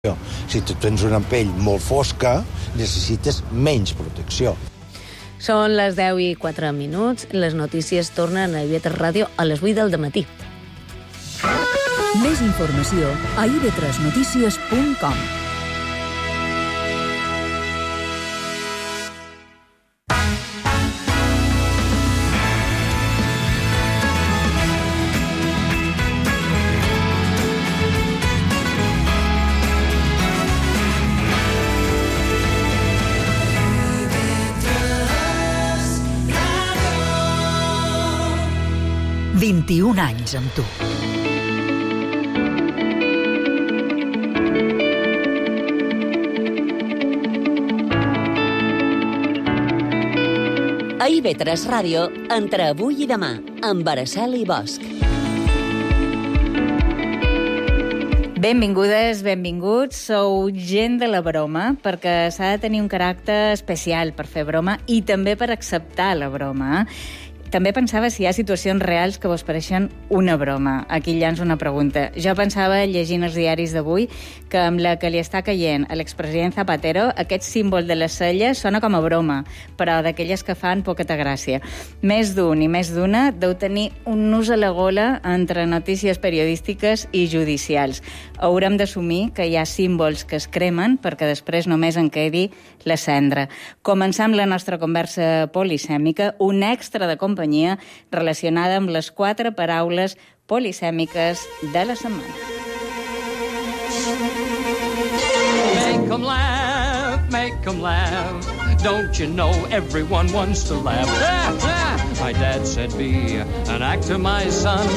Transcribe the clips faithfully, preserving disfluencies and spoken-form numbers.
Si tu tens una pell molt fosca, necessites menys protecció. Són les deu i quatre minuts. Les notícies tornen a I V tres Ràdio a les vuit del dematí. Més informació a i ve tres notícies punt com. vint-i-un anys amb tu. A I V tres Ràdio, entre avui i demà, amb Araceli Bosch. Benvingudes, benvinguts. Sou gent de la broma, perquè s'ha de tenir un caràcter especial per fer broma i també per acceptar la broma. També pensava si hi ha situacions reals que vos pareixen una broma. Aquí llanço una pregunta. Jo pensava, llegint els diaris d'avui, que amb la que li està caient a l'expresident Zapatero, aquest símbol de les celles sona com a broma, però d'aquelles que fan poqueta gràcia. Més d'un i més d'una deu tenir un nus a la gola entre notícies periodístiques i judicials. Haurem d'assumir que hi ha símbols que es cremen perquè després només en quedi la cendra. Començam la nostra conversa polisèmica, un extra de companyia relacionada amb les quatre paraules polisèmiques de la setmana. Make 'em laugh, make 'em laugh. Don't you know everyone wants to laugh? Ah, ah. My dad said be an actor, my son,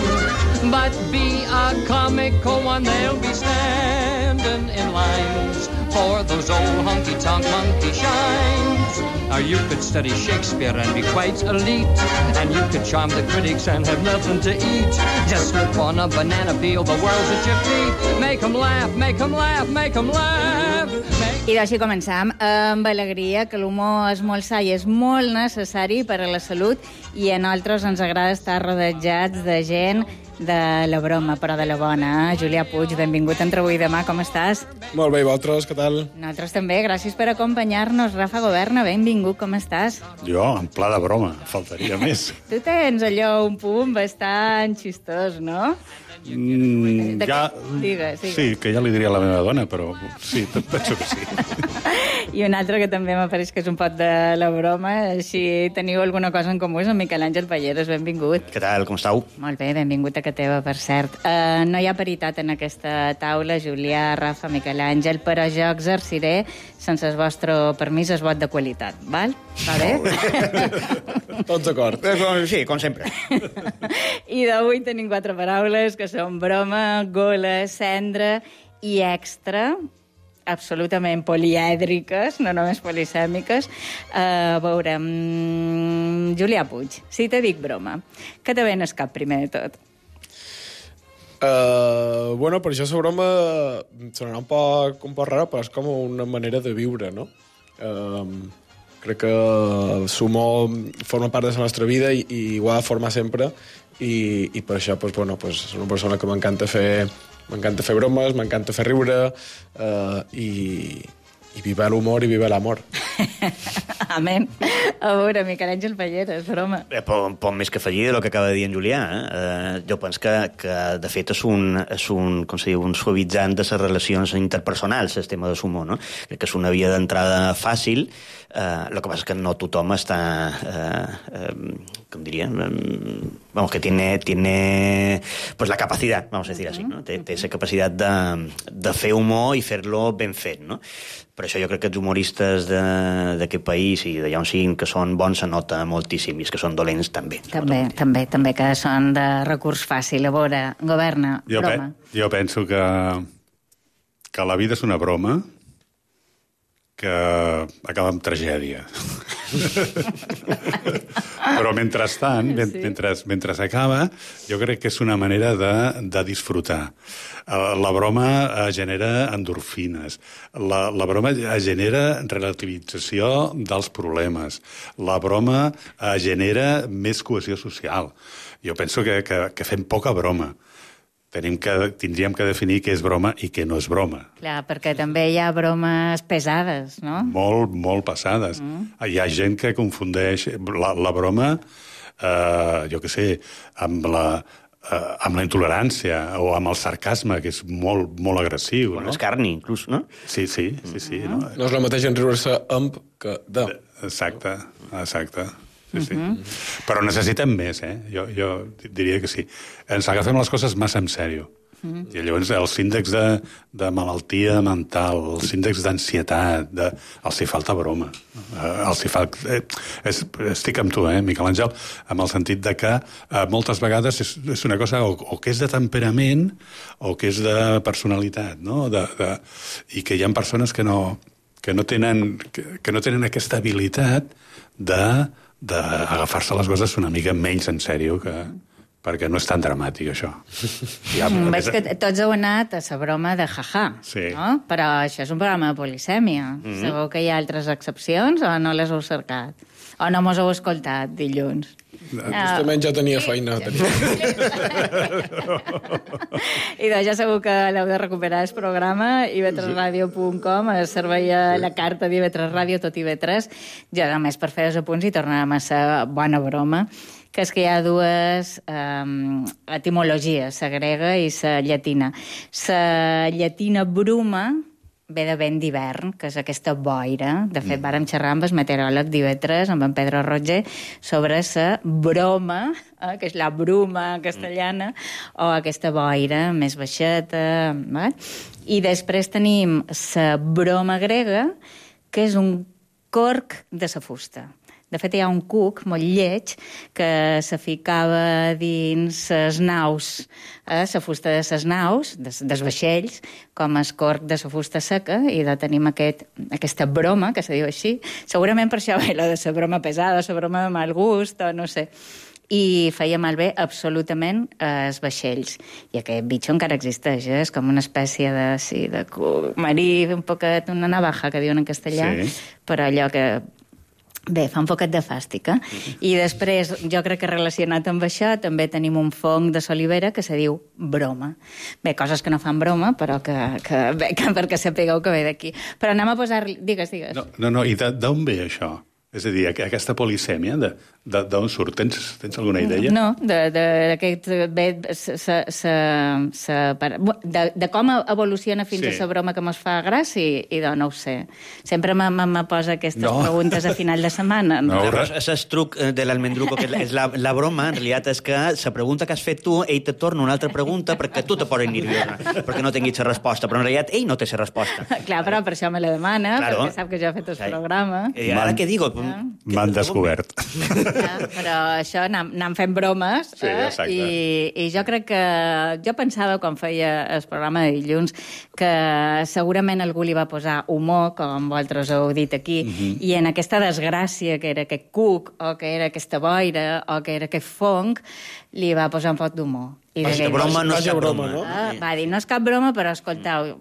but be a comical one. They'll be standing in lines for those old honky-tonk monkey shines. Or you could study Shakespeare and be quite elite, and you could charm the critics and have nothing to eat. Just slip on a banana peel, the world's at your feet. Make 'em laugh, make 'em laugh, make 'em laugh. Make... I així començam amb alegria, que l'humor és molt sa i és molt necessari per a la salut, i a nosaltres ens agrada estar rodejats de gent de la broma, però de la bona. Julià Puig, benvingut entre avui i demà, com estàs? Molt bé, i vosaltres, què tal? Nosaltres també, gràcies per acompanyar-nos. Rafa Governa, benvingut, com estàs? Jo, en pla de broma, faltaria més. Tu tens allò un punt bastant xistós, no? Mm, ja... Digues, digues. Sí, que ja li diria a la meva dona, però sí, penso que sí. I un altre que també m'apareix que és un pot de la broma, si teniu alguna cosa en comú, és en Miquel Àngel Palleres, benvingut. Què tal, com estàu? Molt bé, benvingut a que teva, per cert. Uh, no hi ha paritat en aquesta taula, Julià, Rafa, Miquel Àngel, però jo exerciré, sense el vostre permís, el vot de qualitat, val? Va bé? Tots d'acord. Sí, com sempre. I d'avui tenim quatre paraules que són broma, gola, cendra i extra, absolutament polièdriques, no només polisèmiques. Uh, a veure, um, Julià Puig, si te dic broma, què te ve al cap primer de tot? Uh, bueno, per això la broma sonarà un poc, un poc rara, però és com una manera de viure, no? Uh, crec que l'humor forma part de la nostra vida i, i ho ha de formar sempre, i, i per això, pues, bueno, pues, és una persona que m'encanta fer m'encanta fer bromes, m'encanta fer riure, uh, i, i viva l'humor i viva l'amor. Amén. A veure, Miquel Àngel Palleres, broma. Eh, pot, pot més que afegir del que acaba de dir en Julià. Eh? Eh, jo penso que, que, de fet, és un, és un, com se diu, un suavitzant de les relacions interpersonals, el tema de l'humor, no? Crec que és una via d'entrada fàcil. Uh, lo que pasa es que no tothom està, uh, uh, com diria, um, vamos, que tiene, tiene pues la capacidad, vamos a decir así, ¿no? Té, té esa capacitat de, de fer humor i fer-lo ben fet, no? Per això jo crec que els humoristes d'aquest país i d'allà on siguin que són bons se nota moltíssim, i els que són dolents també. També, també, també que són de recurs fàcil. A veure, Governa, jo broma. Pe jo penso que, que la vida és una broma que acaba amb tragèdia. Però mentrestant, sí. mentre, mentre s'acaba, jo crec que és una manera de, de disfrutar. La broma genera endorfines. La, la broma genera relativització dels problemes. La broma genera més cohesió social. Jo penso que, que, que fem poca broma. tenim que, tindríem que definir què és broma i què no és broma. Clar, perquè també hi ha bromes pesades, no? Molt, molt passades. Mm. Hi ha gent que confundeix la, la broma, eh, jo què sé, amb la, eh, amb la intolerància o amb el sarcasme, que és molt, molt agressiu. O no? l'escarni, inclús, no? Sí, sí, sí. sí mm. no? No és el mateix en riure-se amb que de. Exacte, exacte. Sí, sí. Uh-huh. Però necessitem més, eh? Jo, jo diria que sí. Ens agafem les coses massa en sèrio. Uh-huh. I llavors els índexs de, de malaltia mental, els índexs d'ansietat, de... els hi falta broma. Eh, els hi fa... eh, és, estic amb tu, eh, Miquel Àngel, amb el sentit de que eh, moltes vegades és, és una cosa o, o que és de temperament o que és de personalitat, no? De, de... I que hi ha persones que no, que no, tenen, que, que no tenen aquesta habilitat de d'agafar-se les coses una mica menys en sèrio, que, perquè no és tan dramàtic, això. Ja, mm, veig que tots heu anat a la broma de jaja, sí. no? Però això és un programa de polisèmia. Mm-hmm. Segur que hi ha altres excepcions o no les heu cercat? O no mos heu escoltat dilluns? Justament ja tenia feina. Tenia. I doncs ja segur que l'heu de recuperar el programa i ve tres ràdio punt com, es servei a la carta d'I V tres Ràdio, tot I V tres. Ja només per fer els apunts i tornarem a ser bona broma, que és que hi ha dues um, etimologies, la grega i la llatina. La llatina bruma ve de vent d'hivern, que és aquesta boira. De fet, mm. vàrem xerrar amb el meteoròleg d'I V tres, amb en Pedro Roger, sobre la broma, eh, que és la bruma castellana, mm. o aquesta boira més baixeta. Eh? I després tenim la broma grega, que és un corc de la fusta. De fet, hi ha un cuc molt lleig que se ficava dins les naus, eh, la fusta de les naus, des, dels vaixells, com el corc de la fusta seca, i de tenim aquest, aquesta broma, que se diu així. Segurament per això ve la de la broma pesada, la broma de mal gust, o no sé. I feia malbé absolutament els vaixells. I aquest bitxo encara existeix, eh? És com una espècie de, sí, de cuc marí, un poquet, una navaja, que diuen en castellà, sí. Però allò que... Bé, fa un poquet de fàstica. Mm-hmm. I després, jo crec que relacionat amb això, també tenim un fong de solivera que se diu broma. Bé, coses que no fan broma, però que, que, bé, que perquè sapigueu que ve d'aquí. Però anem a posar... Digues, digues. No, no, no. I d'on ve això? És a dir, aquesta polisèmia, d'on surt? Tens, tens alguna idea? No, d'aquest... De, de com evoluciona fins sí. a la broma que mos fa gràcia, i de no ho sé. Sempre me, me, me posa aquestes no. preguntes a final de setmana. No, no és el truc de l'almendruco, que és la, la broma, en realitat, és que la pregunta que has fet tu, ell te torna una altra pregunta perquè tu te poses nerviosa, perquè no tinguis la resposta, però en realitat ell no té la resposta. Clar, però per això me la demana, claro. Perquè sap que jo he fet el programa. I ara què digo? M'han descobert. Ja, però això, anem, anem fent bromes, sí, eh? I, i jo crec que... Jo pensava, quan feia el programa de dilluns, que segurament algú li va posar humor, com vosaltres heu dit aquí, uh-huh. I en aquesta desgràcia, que era aquest cuc, o que era aquesta boira, o que era aquest fong, li va posar un poc d'humor. I de broma no és cap broma, no? Ah, va dir, no és cap broma, però escoltau,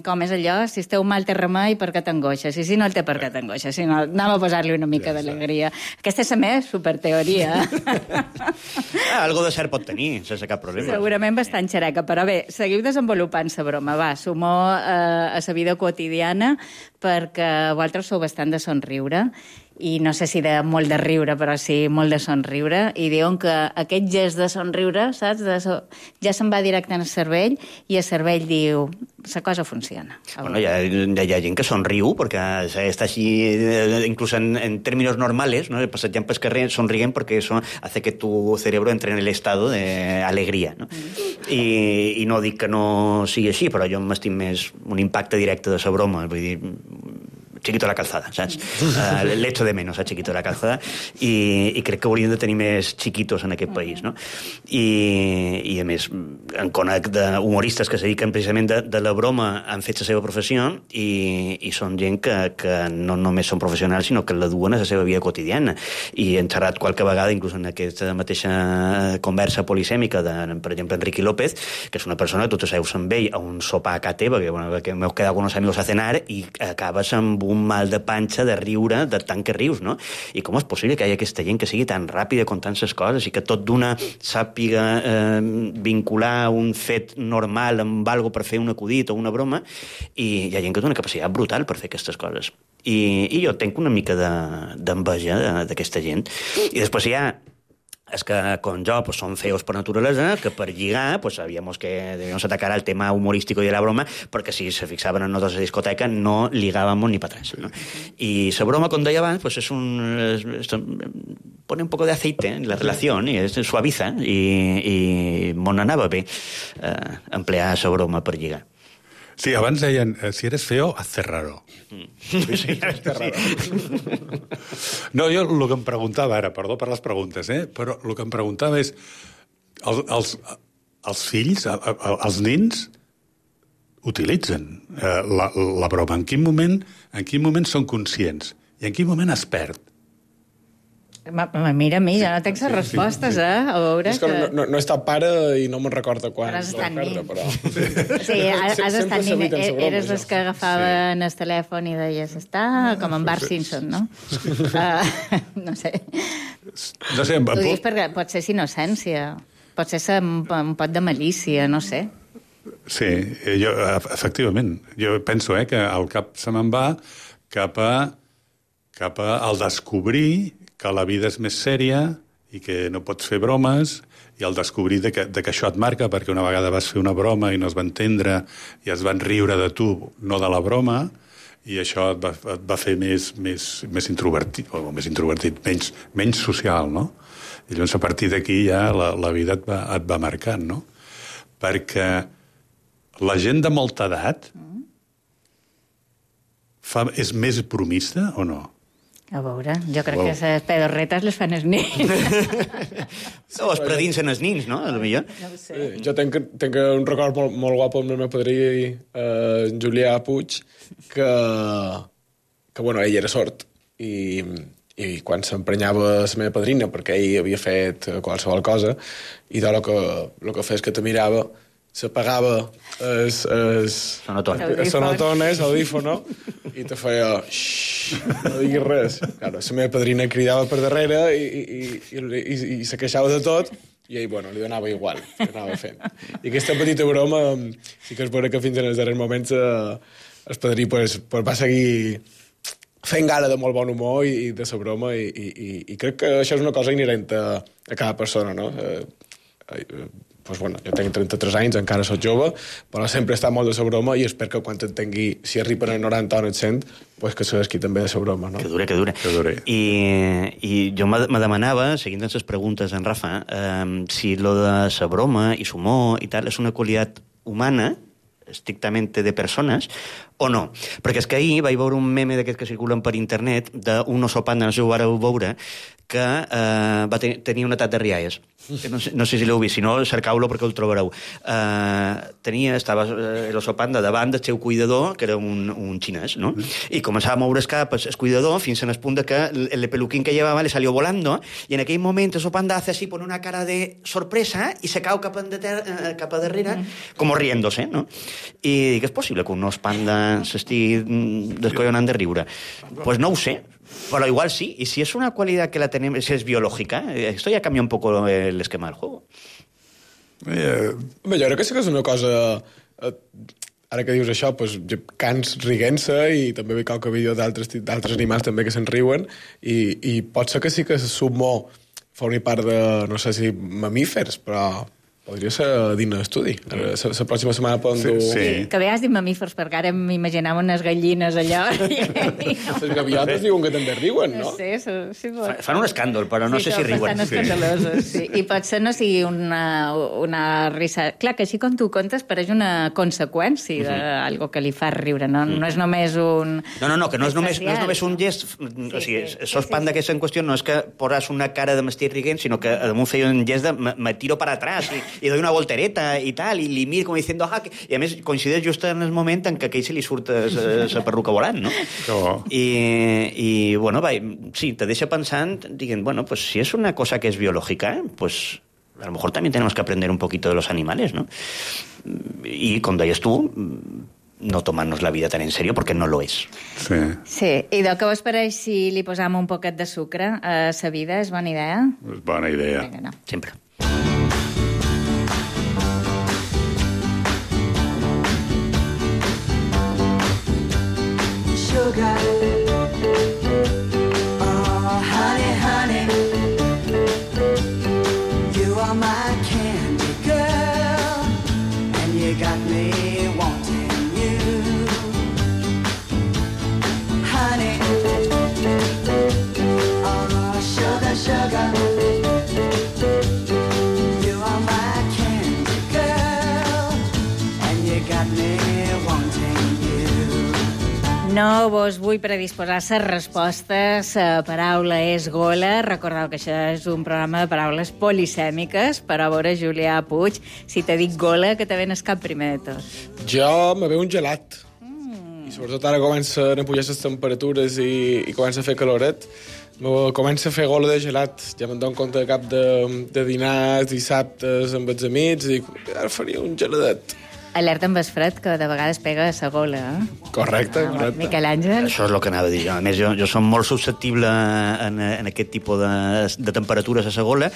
com és allò? Si esteu mal té remei, per què t'angoixes? I si no el té, per què t'angoixes? Si no, anem a posar-li una mica ja d'alegria. Aquesta és la meva superteoria. Ah, algo de cert pot tenir, sense cap problema. Segurament bastant xereca, però bé, seguiu desenvolupant la broma. Va, sumor eh, a la vida quotidiana, perquè vosaltres sou bastant de somriure, i no sé si de molt de riure, però sí molt de somriure, i diuen que aquest gest de somriure, saps, de so... ja se'n va directe en el cervell, i el cervell diu, la cosa funciona. Bueno, hi ha, hi ha gent que somriu, perquè està així, inclús en, en términos normales, ¿no? Passejant pel carrer sonrien perquè eso hace que tu cerebro entre en el estado de alegría, ¿no? Mm. I, I no dic que no sigui així, però jo m'estim més un impacte directe de la broma, vull dir, Chiquito de la Calzada, saps? Uh, L'echo de menos a Chiquito de la Calzada, i, i crec que hauríem de tenir més chiquitos en aquest país, no? I, i a més, en conec d'humoristes que se dediquen precisament de, de la broma, han fet la seva professió, i, i són gent que, que no només són professionals, sinó que la duen a la seva vida quotidiana. I hem xerrat qualque vegada, inclús en aquesta mateixa conversa polisèmica de, per exemple, Enrique López, que és una persona que tu te seus amb ell a un sopar a casa teva, que, bueno, que m'heu quedat con unos amigos a cenar, i acabes amb un un mal de panxa de riure de tant que rius, no? I com és possible que hi hagi aquesta gent que sigui tan ràpida contant les coses i que tot d'una sàpiga eh, vincular un fet normal amb algo per fer un acudit o una broma, i hi ha gent que té una capacitat brutal per fer aquestes coses. I, i jo tenc una mica d'enveja de, d'aquesta gent. I després hi ha és que, com jo, pues, som feos per naturalesa, que per lligar, pues, sabíamos que debíamos atacar al tema humorístico y de la broma, perquè si se fixaven en nosaltres a la discoteca no ligábamos ni para atrás, ¿no? Y la broma, com deia abans, pues, es un, es, es, pone un poco de aceite en la relación, i es suaviza, i, i mon anava bé eh, emplear la broma per lligar. Sí, abans deien, si eres feo, hazte raro. Mm. Sí, sí, hazte raro. No, jo el que em preguntava ara, perdó per les preguntes, eh? Però el que em preguntava és, els, els, els fills, els nins, utilitzen eh, la, la broma. En quin moment, en quin moment són conscients? I en quin moment es perd? Mira, a mi, ja no tens les respostes, eh? A veure és que, que... No, no he estat pare i no me'n recordo quan. Però has estat nin. Però... Sí, has, has estat nin. Eres els que agafaven el telèfon i deies, està com en Bart Simpson, no? Uh, no sé. No sé, ho dius perquè pot ser innocència, pot ser un, un pot de malícia, no sé. Sí, jo, efectivament. Jo penso eh, que el cap se me'n va cap a, cap a al descobrir que la vida és més sèria i que no pots fer bromes, i al descobrir de que, de que això et marca, perquè una vegada vas fer una broma i no es va entendre i es van riure de tu, no de la broma, i això et va, et va fer més, més, més introvertit, o més introvertit, menys, menys social, no? I llavors a partir d'aquí ja la, la vida et va, et va marcant, no? Perquè la gent de molta edat fa, és més bromista o no? A veure, jo crec wow. que les pedorretes les fan els nins. O es predinsen els nins, no? A lo millor. No ho sé. Sí, jo tenc, tenc un record molt, molt guapo amb el meu padrí, eh, Julià Puig, que, que bueno, ell era sord, i, i quan s'emprenyava la meva padrina, perquè ell havia fet qualsevol cosa, i tot el que, el que feia és que te mirava, s'apagava es, es, sonotones, sonotones audífono, i te feia xxxt, no diguis res. Claro, la meva padrina cridava per darrere i, i, i, i, i se queixava de tot, i ell, bueno, li donava igual, que anava fent. I aquesta petita broma, sí que es veure que fins en els darrers moments eh, el padrí pues, pues, va seguir fent gala de molt bon humor i, i de la broma, i, i, i crec que això és una cosa inherent a, a cada persona, no? Eh, eh, pues bueno, jo tenc trenta-tres anys, encara soc jove, però sempre està molt de la broma i espero que quan t'entengui, si arriben a noranta o no et sent, pues que se desqui també de la broma, no? Que dure, que dure. Que dure. I, i jo me demanava, seguint les preguntes en Rafa, eh, si lo de la broma i l'humor i tal és una qualitat humana, estrictament de persones, o no? Perquè és que ahir vaig veure un meme d'aquests que circulen per internet d'un oso panda, no sé si ho vareu veure, que eh, va ten tenir un atac de rialles. No sé, no sé si l'heu vist, si no, cercau-lo perquè el trobareu. Uh, tenia, estava eh, l'oso panda davant del seu cuidador, que era un, un xinès, ¿no? I començava a moure el cap el cuidador fins en el punt que el peluquín que llevava le salió volando, i en aquell moment el oso panda hace así, pone una cara de sorpresa i se cau cap, de eh, cap a darrere, com riéndose, ¿no? I dic, és possible que un os panda s'estigui descollonant de riure? Pues no ho sé. Pero igual sí, y si es una cualidad que la tenemos, si es biológica, esto ya cambia un poco el esquema del juego. Eh, Home, jo crec que sí que és una cosa... Eh, ara que dius això, pues, cans riguent-se, i també veig qualque vídeo d'altres animals també que se'n riuen, i, i pot ser que sí que l'humor formi part de, no sé si mamífers, però podria ser digne d'estudi. La pròxima setmana poden dur... Sí, sí. Que bé has dit mamífers, perquè ara m'imaginava unes gallines allò. Les gaviotes diuen que també riuen, no? No sé, sí, pot... Fan un escàndol, però no sí, sé si riuen. Sí, escandalosos, sí. I potser no sigui una, una risa... Clar, que així com tu contes pareix una conseqüència d'algo uh -huh. que li fa riure, no? No és només un... No, no, no, que no és només, no és només un gest... Sí, o sigui, sí, sos sí, panda sí. Que és en qüestió no és que posas una cara de m'estic riguent, sinó que damunt feia un gest de me tiro para atrás i i doy una voltereta i tal, i li miro com diciendo ah, que... i a més coincideix just en el moment en què aquell se li surt la perruca volant, no? Oh. I, i bueno, va, sí, te deixa pensant, diguent, bueno, pues si es una cosa que es biológica, pues a lo mejor también tenemos que aprender un poquito de los animales, ¿no? Y, com deies tu, no tomar-nos la vida tan en serio, perquè no lo és. Sí. Sí, i de què vos pareix si li posam un poquet de sucre a sa vida? És bona idea? És bona idea. Vinga, no. Sempre. Sugar, oh honey, honey, you are my candy girl, and you got me wanting you, honey, oh sugar, sugar, you are my candy girl, and you got me wanting you. No vos vull predisposar les respostes. La paraula és gola. Recordeu que això és un programa de paraules polisèmiques, però a veure, Julià Puig, si te dic gola, que te ven el cap primer de tot? Jo me veu un gelat. Mm. I sobretot ara comencen a pujar les temperatures i, i comença a fer caloret. Me comença a fer gola de gelat. Ja me'n dono compte de cap de, de dinars, dissabtes amb els amics, i dic, ara faria un geladet. Alerta amb el fred, que de vegades pega a la gola. Eh? Correcte, Ah, correcte. Miquel Àngel? Això és el que anava a dir jo. A més, jo, jo som molt susceptible en, en aquest tipus de, de temperatures a la gola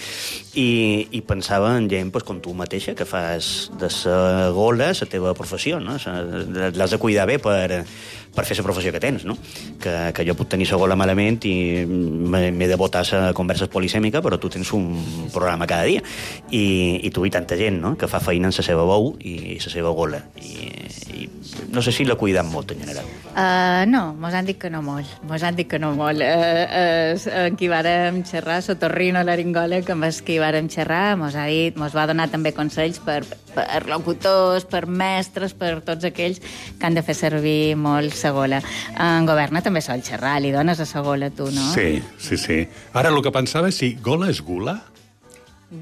i, i pensava en gent pues, com tu mateixa, que fas de la gola la teva professió, no? L'has de cuidar bé per, per fer la professió que tens, no? Que, que jo puc tenir la gola malament i m'he de botar la conversa polisèmica, però tu tens un programa cada dia. I, i tu i tanta gent, no?, que fa feina en la seva bou i la seva gola. I, i no sé si la cuiden molt, en general. Uh, no, mos han dit que no molt. Mos han dit que no molt. Uh, uh, en qui vàrem xerrar, sotorrino laringòleg, amb el qui vàrem xerrar, mos ha dit, mos va donar també consells per, per locutors, per mestres, per tots aquells que han de fer servir molt la gola. En Governa també sol xerrar, li dones a la gola, tu, no? Sí, sí, sí. Ara, el que pensava és si gola és gula?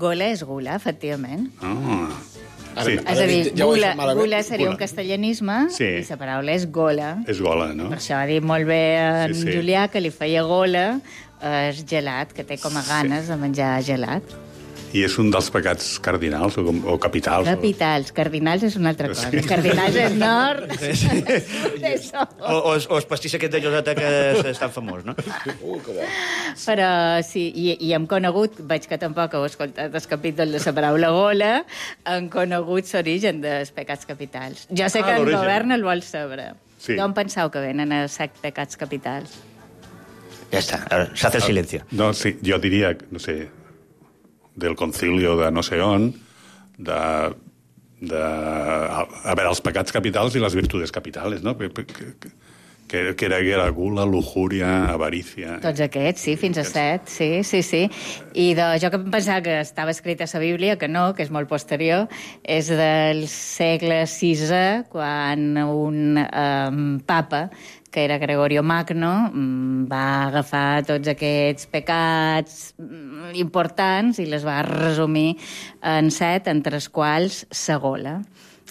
Gola és gula, efectivament. Ah. Ara, Sí. És a dir, ja ho he gula, dit malament. gula seria Gula. un castellanisme Sí. i la paraula és gola. És gola, no? Per això ha dit molt bé en Sí, sí. Julià que li feia gola el gelat, que té com a ganes de menjar gelat. I és un dels pecats cardinals o, com- o capitals. o- Capitals, cardinals és una altra cosa. Sí. Cardinals és nord. Això. O, o, o el pastís aquest de Joseta que és tan famós, no? Uh, que bo. Però sí, i, i hem conegut, veig que tampoc heu escoltat el capítol de la paraula gola, hem conegut l'origen dels pecats capitals. Jo sé Ah, que en l'origen. Govern el vol saber. Sí. D'on penseu que venen els set pecats capitals? Ja està, ara s'ha fet silenci. No, sí, jo diria, no sé, del concilio de no sé on, de, de a, a veure, els pecats capitals i les virtudes capitales, no? Que, que, que, que, era, que era gula, lujuria, avarícia... Tots aquests, sí, fins a set, sí, sí, sí. I de, jo que pensava que estava escrit a la Bíblia, que no, que és molt posterior, és del segle sisè, quan un um, papa, que era Gregorio Magno, va agafar tots aquests pecats importants i les va resumir en set, entre els quals la gola.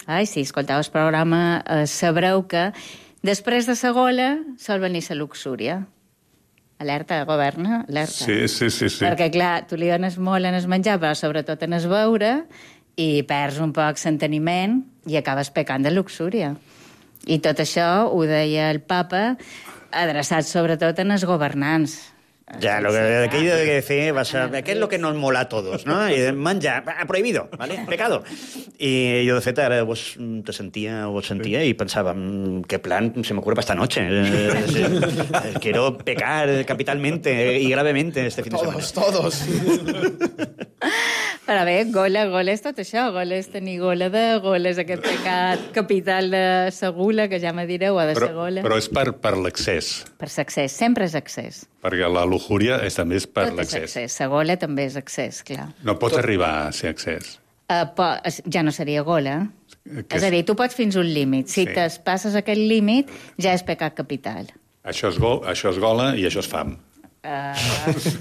Ai, si escolteu el programa, eh, sabreu que després de la gola sol venir la luxúria. Alerta, Governa, alerta. Sí, sí, sí, sí. Perquè, clar, tu li dones molt en el menjar, però sobretot en el beure, i perds un poc l'enteniment i acabes pecant de luxúria. I tot això ho deia el papa, adreçat sobretot en els governants. Ya, lo que aquello de decir, va a ser, ¿qué es lo que nos mola a todos? ¿No? Y menjar, ah, prohibido, ¿vale? Pecado. I jo, de fet, ara vos te sentia, vos sentia i pensava, mm, qué plan se me ocurre para esta noche. Eh, eh, quiero pecar capitalmente y gravemente este fin de semana. Todos, todos. Però bé, gola, gola és tot això. Gola és tenir gola de, gola és aquest pecat capital de sa gula, que ja me direu, o de sa Però, gola. però és per, per l'excés, Per l'accés, sempre és accés. perquè la lujuria és, també és per Tot és l'excés. accés. Sa gola també és accés, clar. No pots arribar a ser excés. Uh, po es- ja no seria gola. Que És a dir, tu pots fins un límit. Si Sí. sí. passes aquest límit, ja és pecat capital. Això és, go, això és gola i això és fam. Uh,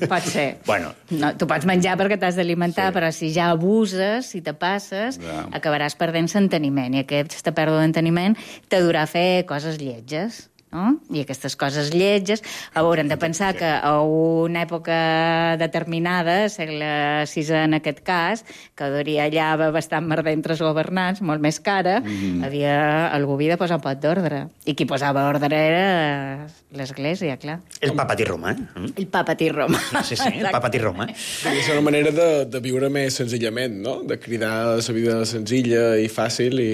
pot ser. Bueno. No, tu pots menjar perquè t'has d'alimentar, Sí. però si ja abuses, si te passes, Ja. acabaràs perdent l'enteniment. I aquesta pèrdua d'enteniment te durà a fer coses lletges. no? I aquestes coses lletges. Haurem de pensar que a una època determinada, segle sisè en aquest cas, que duria allà bastant merder entre els governants, molt més cara, mm. havia, algú havia de posar un pot d'ordre. I qui posava ordre era l'Església, clar. El papat i Roma, eh? El papat i Roma. Sí, sí, el papat i Roma. És una manera de, de viure més senzillament, no? De cridar la vida senzilla i fàcil i...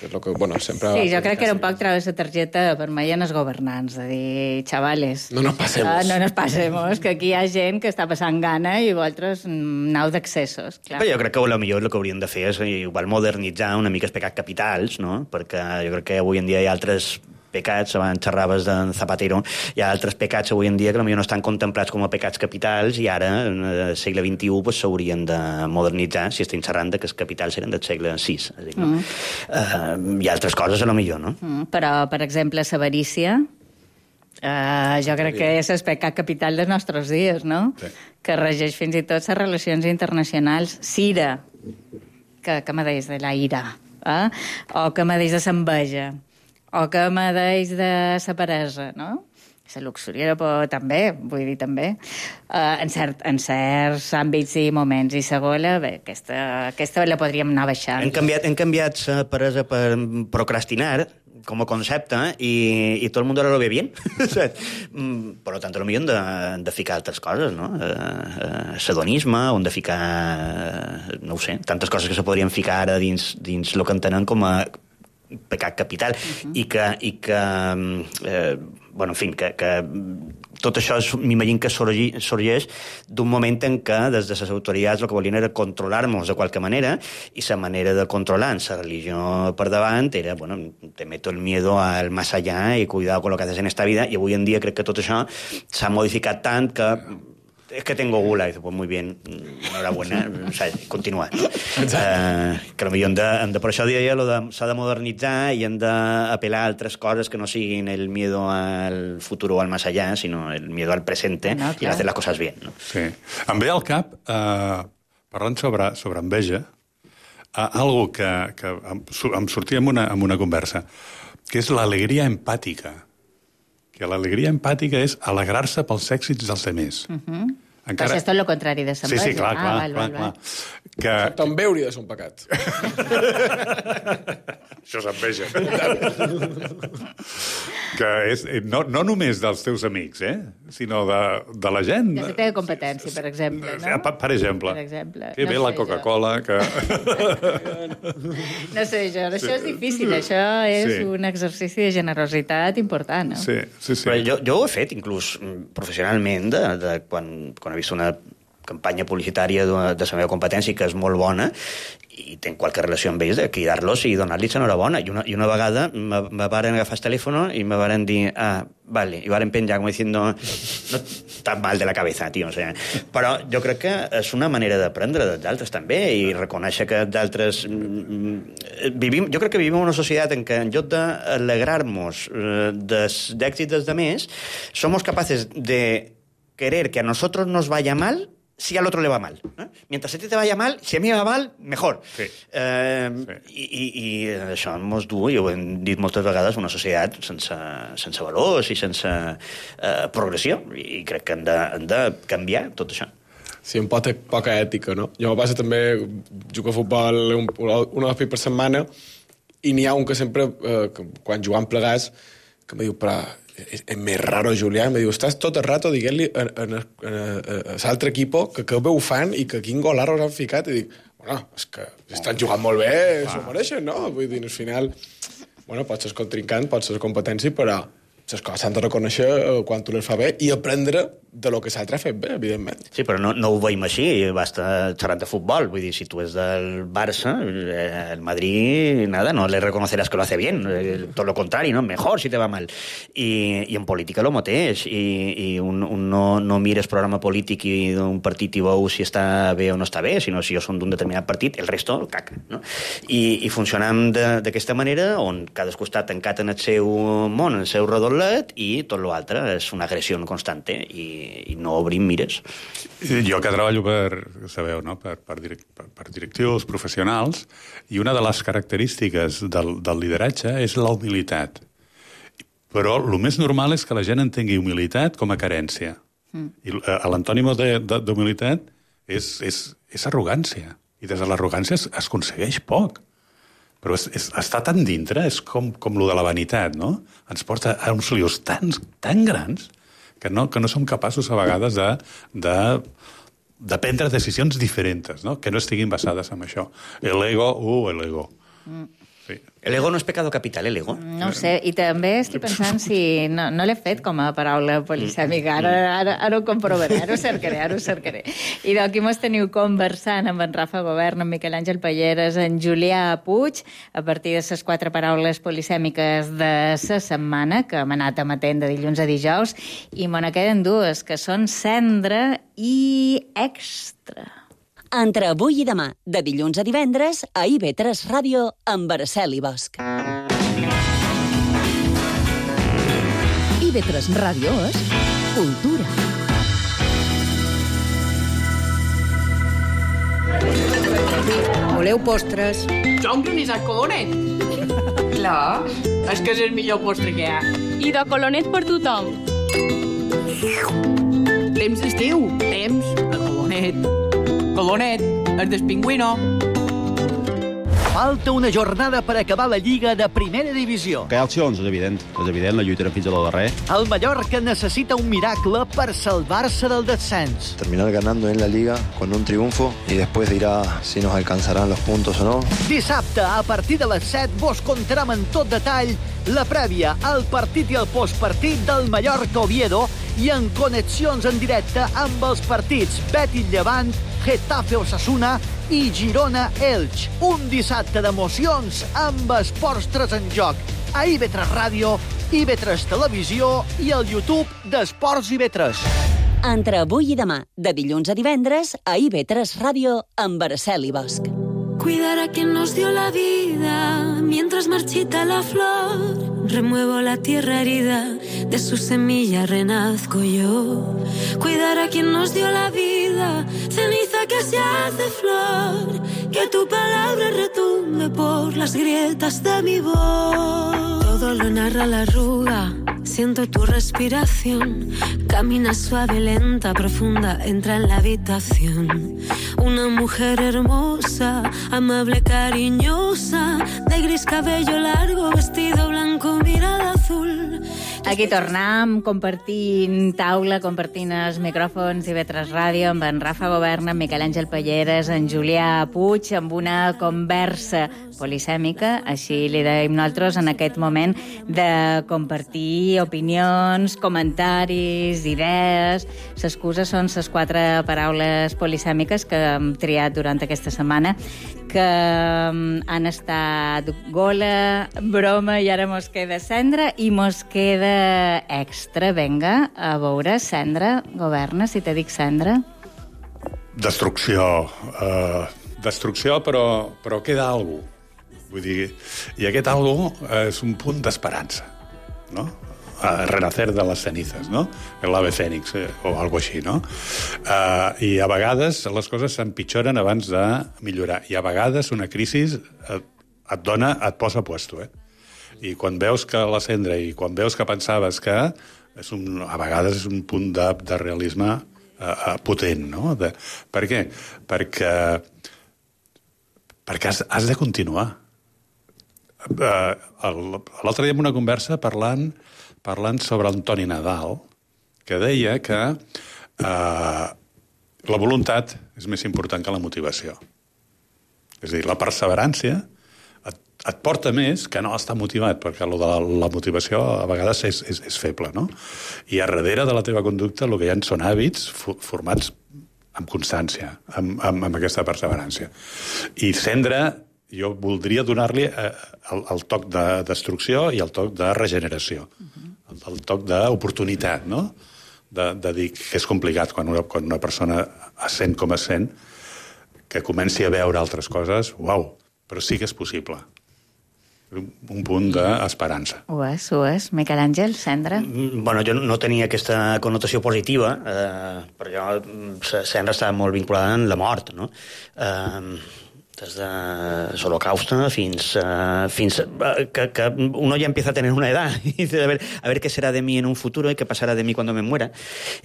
És lo que, bueno, sempre sí, jo crec que era un poc treure la targeta vermella als governants, de dir, xavales... No nos pasemos. Uh, no nos pasemos, que aquí hi ha gent que està passant gana i vosaltres nau d'accessos. Però jo crec que a millor el que hauríem de fer és igual modernitzar una mica els pecats capitals, no? Perquè jo crec que avui en dia hi ha altres pecats, abans xerraves de Zapatero, hi ha altres pecats avui en dia que potser no estan contemplats com a pecats capitals i ara, en el segle vint-i-u, pues, s'haurien de modernitzar si estem xerrant que els capitals eren del segle sis. És dir, no? mm. uh, hi ha altres coses, a lo millor, no? Mm, però, per exemple, l'avarícia, uh, jo crec que és el pecat capital dels nostres dies, no? Sí. Que regeix fins i tot les relacions internacionals. Sira, que, que me deies de la ira, eh? O que me deies de l'enveja, o que me deix de la peresa, no? La luxúria, però també, vull dir, també. Uh, en, cert, en certs àmbits i moments. I segona, bé, aquesta, aquesta la podríem anar baixant. Hem canviat, hem canviat la peresa per procrastinar, com a concepte, i, i tot el món ara lo ve bien. Per tant, potser hem de, de ficar altres coses, no? Uh, Sedonisme, on de ficar, no ho sé, tantes coses que se podrien ficar ara dins, dins el que entenen com a pecat capital, uh-huh. i que, i que eh, bueno, en fi, que, que tot això m'imagino que sorgeix d'un moment en què des de les autoritats el que volien era controlar-nos de qualque manera, i la manera de controlar la religió per davant era, bueno, te meto el miedo al más allá y cuidado con lo que haces en esta vida, i avui en dia crec que tot això s'ha modificat tant que es que tengo gula, y dice, pues muy bien, enhorabuena, o sea, continua. Uh, que potser hem de, hem de, per això deia, de, s'ha de modernitzar i hem d'apel·lar a altres coses que no siguin el miedo al futuro o al más allá, sinó el miedo al presente, no, i hacer las cosas bien. No? Sí. Em ve al cap, uh, parlant sobre, sobre enveja, uh, algo que, que em, em sortia en una, en una conversa, que és l'alegria empàtica. Que l'alegria empàtica és alegrar-se pels èxits dels altres. Uh-huh. Encara... Però és tot el contrari de l'enveja. Sí, sí, clar, clar. Ah, val, clar, val, clar. val. Que... També hauria de ser un pecat. Això és enveja. Que és no, no només dels teus amics, eh? Sinó de, de la gent. De la teva competència, per exemple. No? Per, per exemple. Per exemple. Que bé no la Coca-Cola, que... No sé jo, això sí. És difícil, això és sí. Un exercici de generositat important, no? Sí, sí, sí. Però jo, jo ho he fet, inclús professionalment, de, de quan, quan he vist una campanya publicitària de, de la meva competència que és molt bona i tenc qualque relació amb ells, de cridar-los i donar-los enhorabona. I una, i una vegada me, me varen agafar el telèfon i me varen dir, ah, vale, i varen penjar com diciendo, no tan mal de la cabeza, tio. O sea, però jo crec que és una manera d'aprendre dels altres també i reconèixer que d'altres... Vivim, jo crec que vivim en una societat en què en lloc d'alegrar-nos d'èxits dels demés, somos capaces de querer que a nosotros nos vaya mal si al otro le va mal. ¿eh? Mientras a ti te vaya mal, si a mí me va mal, mejor. Sí. Eh, sí. I, i, I això mos du, i ho hem dit moltes vegades, una societat sense, sense valors i sense eh, progressió. I crec que hem de, hem de canviar tot això. Sí, un pot poca ètica, no? Jo me passa també, jugo a futbol un, un hòspit per setmana i n'hi ha un que sempre, eh, que, quan jugam plegats, que em diu, però és, és més raro, Julià, em diu, estàs tot el rato dient-li a, a, a, a l'altre equip que que bé ho fan i que quin golarros han ficat, i dic, bueno, és que estan jugant molt bé, ah. S'ho mereixen, no? Vull dir, al final, bueno, pot ser contrincant, pot ser competència, però les coses s'han de reconèixer quan tu les fa bé i aprendre de lo que l'altre ha fet bé, evidentment. Sí, però no, no ho veiem així, basta xerrar de futbol. Vull dir, si tu és del Barça, el Madrid, nada, no le reconocerás que lo hace bien. Todo lo contrario, ¿no? Mejor si te va mal. I, i en política lo mateix. I, i un, un no, no mires programa polític i d'un partit i veus si està bé o no està bé, sinó si jo som d'un determinat partit, el resto, caca. No? I, i funcionam d'aquesta manera, on cadascú està tancat en el seu món, en el seu redolet, i tot l'altre és una agressió constante i i no obrim mires. Jo que treballo per, sabeu, no? per, per, direct, per, per directius professionals, i una de les característiques del, del lideratge és la humilitat. Però el més normal és que la gent entengui humilitat com a carència. Mm. I l'antònim d'humilitat és, és, és arrogància. I des de l'arrogància es, es aconsegueix poc. Però és, és, està tan dintre, és com, com lo de la vanitat, no? Ens porta a uns lios tan, tan grans que no, que no som capaços a vegades de, de, de prendre decisions diferents, no? Que no estiguin basades en això. L'ego, uh, l'ego. Mm. Sí. El ego no és pecado capital, el ego. No ho sé, i també estic pensant si... No, no l'he fet com a paraula polisèmica, ara, ara, ara ho comprovaré, ara ho cercaré, ara ho cercaré. I d'aquí mos teniu conversant amb en Rafa Govern, en Miquel Àngel Palleres, en Julià Puig, a partir de les quatre paraules polisèmiques de la setmana, que hem anat emetent de dilluns a dijous, i me ne queden dues, que són cendra i extra. Entre avui i demà, de dilluns a divendres, a I V tres Ràdio, amb Araceli Bosch. I V tres Ràdio és cultura. Voleu postres? Jo un granissat colonet. Clar, és que és el millor postre que hi ha. I de colonet per tothom. Temps d'estiu, temps de colonet. Colonet, el del pingüino. Falta una jornada per acabar la Lliga de Primera Divisió. Que hi ha accions, és evident. És evident, la lluitarem fins a la darrer. El Mallorca necessita un miracle per salvar-se del descens. Terminar ganando en la Liga con un triunfo y después dirá si nos alcanzarán los puntos o no. Dissabte, a partir de les set, vos contarem en tot detall la prèvia, el partit i el postpartit del Mallorca-Oviedo i en connexions en directe amb els partits Betis-Llevant, Getafe-Osasuna i Girona-Elx. Un dissabte d'emocions amb esports tres en joc. A I V tres Ràdio, I V tres Televisió i el YouTube d'Esports I V tres. Entre avui i demà, de dilluns a divendres, a I V tres Ràdio, amb Araceli Bosch. Cuidar a quien nos dio la vida mientras marchita la flor. Remuevo la tierra herida, de su semilla renazco yo. Cuidar a quien nos dio la vida, ceniza que se hace flor. Que tu palabra retumbe por las grietas de mi voz. Todo lo narra la arruga, siento tu respiración. Camina suave, lenta, profunda, entra en la habitación. Una mujer hermosa, amable, cariñosa, de gris cabello largo, vestido blanco, mirada azul. Aquí tornem compartint taula, compartint els micròfons I V tres Ràdio amb en Rafa Govern, en Miquel Àngel Palleres, en Julià Puig, amb una conversa polisèmica, així li deim nosaltres en aquest moment, de compartir opinions, comentaris, idees. L'excusa són les quatre paraules polisèmiques que hem triat durant aquesta setmana, que han estat gola, broma, i ara mos queda cendra i mos queda extra. Vinga, a veure, cendra, governa, si te dic cendra. Destrucció. Uh, destrucció, però, però queda alguna cosa. Vull dir, i aquest algo és un punt d'esperança, no? A renacer de les cenizas, no? L'ave fènix, eh, o algo així, no? Uh, I a vegades les coses s'empitjoren abans de millorar. I a vegades una crisi et, et dona, et posa a puesto, eh? I quan veus que la cendra i quan veus que pensaves que és un, a vegades és un punt de, de realisme uh, potent, no? De, per què? Perquè, perquè has, has de continuar. Uh, L'altre dia en una conversa parlant, parlant sobre Antoni Nadal, que deia que uh, la voluntat és més important que la motivació. És a dir, la perseverància et, et porta més que no estar motivat, perquè lo de la, la motivació a vegades és, és, és feble, no? I a darrere de la teva conducta el que hi ha són hàbits formats amb constància, amb, amb, amb aquesta perseverància. I cendra, jo voldria donar-li eh, el, el toc de destrucció i el toc de regeneració, uh-huh. el, el toc d'oportunitat, no? De, de dir que és complicat quan una, quan una persona es sent com es sent, que comenci a veure altres coses, uau, però sí que és possible. Un, un punt d'esperança. Ho és, ho és. Miquel Àngel, cendra? Bueno, jo no tenia aquesta connotació positiva, eh, perquè la cendra estava molt vinculada amb la mort, no? Eh, des de l'Holocausto fins, uh, fins uh, que, que uno ya empieza a tener una edad y dice, a ver, a ver qué será de mí en un futuro y qué pasará de mí cuando me muera.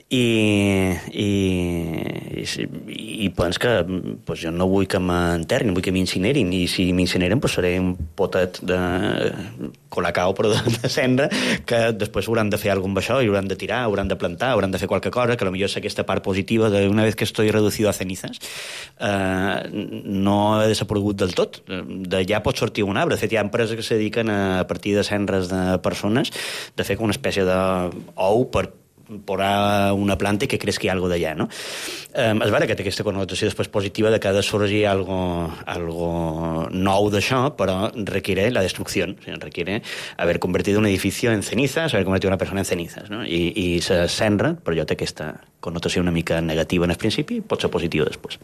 I, i, i, i pens que pues, jo no vull que m'enterrin, vull que m'incinerin, i si m'incineren pues, seré un potet de colacao, però de, de cendra, que després hauran de fer alguna cosa amb això, i hauran de tirar, hauran de plantar, hauran de fer qualque cosa, que potser és aquesta part positiva de una vez que estoy reducido a cenizas, eh, no he desaparegut del tot. D'allà pot sortir un arbre. De fet, hi ha empreses que se dediquen a, a partir de cendres de persones de fer com una espècie d'ou per posar una planta i que creixi algo d'allà, no? Eh, és vera que té aquesta connotació després positiva de que ha de sorgir algo, algo nou d'això, però requiere la destrucció, o sigui, requiere haver convertit un edifici en cenizas, haver convertit una persona en cenizas, no? I, i se cendra, però jo té aquesta connotació una mica negativa en el principi, pot ser positiva després.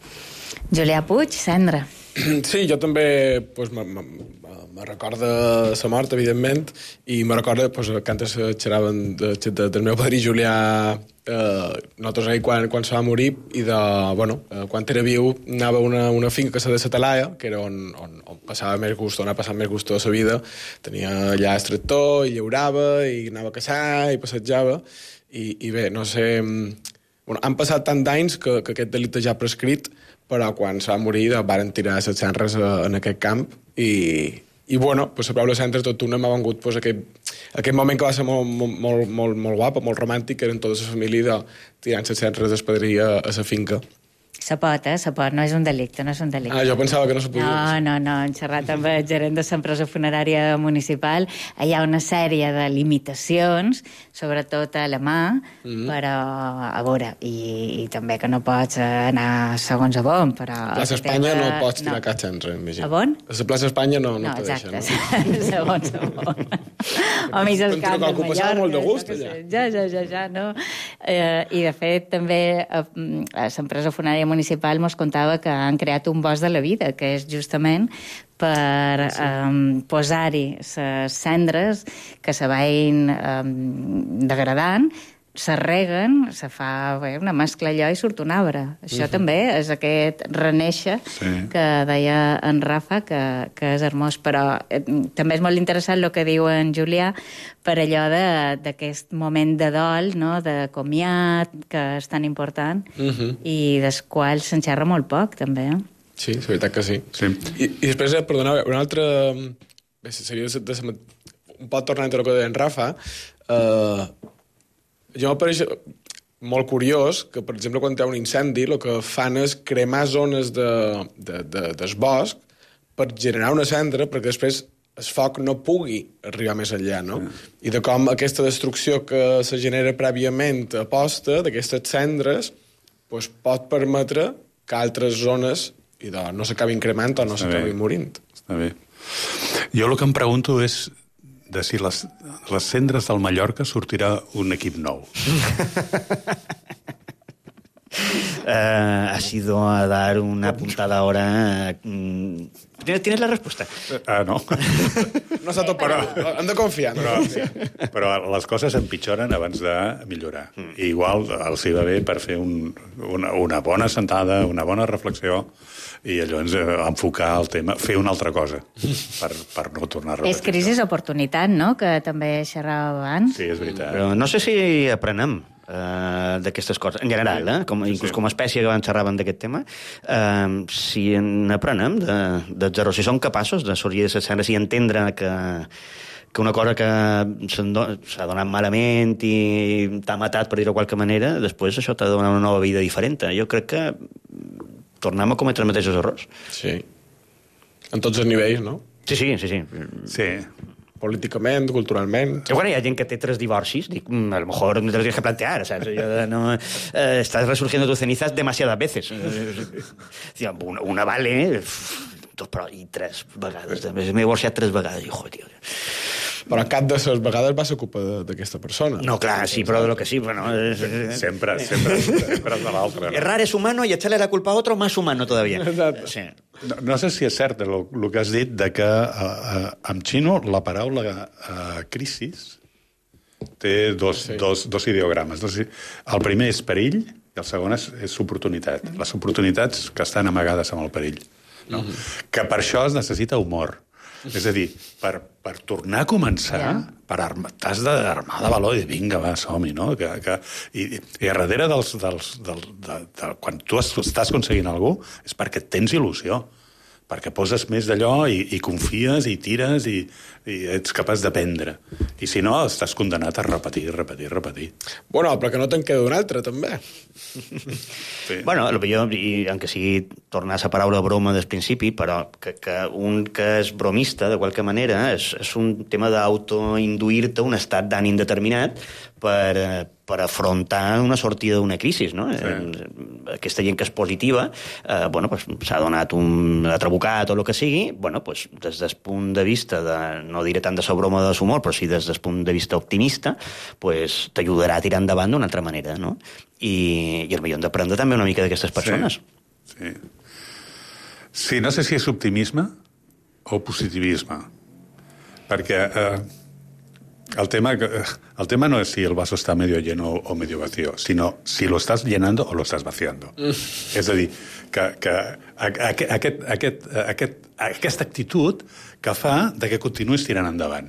Julià Puig, cendra. Sí, jo també pues, me, me, me recorda la mort, evidentment, i me recorda pues, que antes xerraven de, de, del meu padrí Julià, eh, nosaltres ahir quan, quan se va morir, i de, bueno, eh, quan era viu anava a una, una finca que se de la Talaia, que era on, on, on passava més gust, on ha passat més gust tota la vida. Tenia allà el tractor, i llaurava, i anava a caçar, i passejava, i, i bé, no sé... Bueno, han passat tant d'anys que, que aquest delicte ja ha prescrit, però quan se va morir varen tirar les cendres en aquest camp i, i bueno, pues, a prou les cendres tot una m'ha vengut pues, aquest, aquest moment que va ser molt, molt, molt, molt guapa, molt romàntic, que eren tota la família de, tirant les cendres del padrí a, a la finca. Se pot, eh? Se pot, no és un delicte, no és un delicte. Ah, jo pensava que no se podia. No, no, no, en xerrat amb el gerent de l'empresa funerària municipal, hi ha una sèrie de limitacions, sobretot a la mà, mm-hmm. però a veure, i, i també que no pots anar segons a bon, però... A Plaça Espanya teva... no pots tirar no. cap centre, imagina. A bon? A la Plaça Espanya no, no, no te deixen. No, exacte, segons a bon. O mig al camp de Mallorca. Molt de gust, allà. Ja, ja, ja, ja, no? Eh, I, de fet, també a, a l'empresa funerària municipal mos contava que han creat un bosc de la vida, que és justament per sí. um, posar-hi les cendres que se vagin um, degradant, se reguen, se fa bé, una mescla allò i surt un arbre. Això uh-huh. també és aquest renéixer sí. que deia en Rafa, que, que és hermós. Però eh, també és molt interessant el que diu en Julià per allò d'aquest moment de dol, no? De comiat, que és tan important, uh-huh. i del qual se'n xerra molt poc, també. Eh? Sí, és veritat que sí. sí. I, I després, perdoneu, una altra... Bé, seria de, de, un poc tornant a el que deia en Rafa, eh, jo m'apareix molt curiós que, per exemple, quan hi ha un incendi, el que fan és cremar zones de, de, de, del bosc per generar una cendra, perquè després el foc no pugui arribar més enllà, no? Sí. I de com aquesta destrucció que se genera prèviament a posta d'aquestes cendres pues, pot permetre que altres zones i de, no s'acabin cremant o no s'acabin morint. Està bé. Jo el que em pregunto és de si les, les cendres del Mallorca sortirà un equip nou. Uh, ha sido a dar una puntada ahora. Uh, ¿Tienes, ¿Tienes la respuesta? Ah, uh, no. No s'ha tot però hem de confiar. Però, no? Però les coses empitjoren abans de millorar. Mm. I igual els hi va bé per fer un, una, una bona sentada, una bona reflexió, i llavors enfocar el tema, fer una altra cosa, per, per no tornar a repetir. És crisi oportunitat, no?, que també xerrava abans. Sí, és veritat. Però no sé si aprenem Uh, d'aquestes coses, en general, eh? com, inclús sí. com a espècie que abans xerraven d'aquest tema, uh, si n'aprenem de, de zero, si som capaços de sorgir de les cendres i entendre que, que una cosa que s'ha donat malament i t'ha matat, per dir-ho de qualque manera, després això t'ha donat una nova vida diferent. Jo crec que tornem a cometre els mateixos errors. Sí. En tots els nivells, no? Sí, sí, sí. sí. Sí. Políticament, culturalment... I bueno, hi ha gent que té tres divorcis, dic, a lo mejor no te lo tienes que plantear, ¿sabes? Yo, no, eh, estás resurgiendo tus cenizas demasiadas veces. Una, una vale, dos, però, i tres vegades. M'he divorciat tres vegades. I, joder, tio... Però cap de les vegades va ser culpa d'aquesta persona. No, clar, sí, però de lo que sí, bueno... Es... Sempre, sempre, sempre és de l'altre. No? Errar és humano y echarle la culpa a otro más humano todavía. Exacte. Sí. No, no sé si és cert el, el que has dit de que uh, en xino la paraula uh, crisis té dos, sí. dos, dos ideogrames. El primer és perill i el segon és, és oportunitat. Les oportunitats que estan amagades amb el perill. no? Mm-hmm. Que per això es necessita humor. És a dir, per, per tornar a començar, yeah. per arma, t'has d'armar de valor i dir, vinga, va, som-hi, no? Que, que, i, I a darrere dels, dels, del, de, de, quan tu estàs aconseguint alguna cosa, és perquè tens il·lusió, perquè poses més d'allò i, i confies i tires i, i ets capaç d'aprendre. I si no, estàs condenat a repetir, repetir, repetir. Bueno, però que no te'n queda un altre, també. Sí. Bueno, el millor, i aunque sigui tornar a la paraula broma des principi, però que, que un que és bromista, de qualque manera, és, és un tema d'autoinduir-te un estat d'ànim determinat per, per afrontar una sortida d'una crisi, no? Sí. Aquesta gent que és positiva, eh, bueno, pues, s'ha donat un trabucat o el que sigui, bueno, pues, des del punt de vista de, no diré tant de la broma de l'humor, però sí des del punt de vista optimista, pues, t'ajudarà a tirar endavant d'una altra manera, no? I, i el millor hem d'aprendre també una mica d'aquestes persones. Sí. sí. Sí, no sé si és optimisme o positivisme, perquè eh, el, tema, el tema no és si el vaso està medio lleno o medio vacío, sinó si lo estás llenando o lo estás vaciando. Mm. És a dir, que, que aquest, aquest, aquest, aquest, aquesta actitud que fa de que continuïs tirant endavant,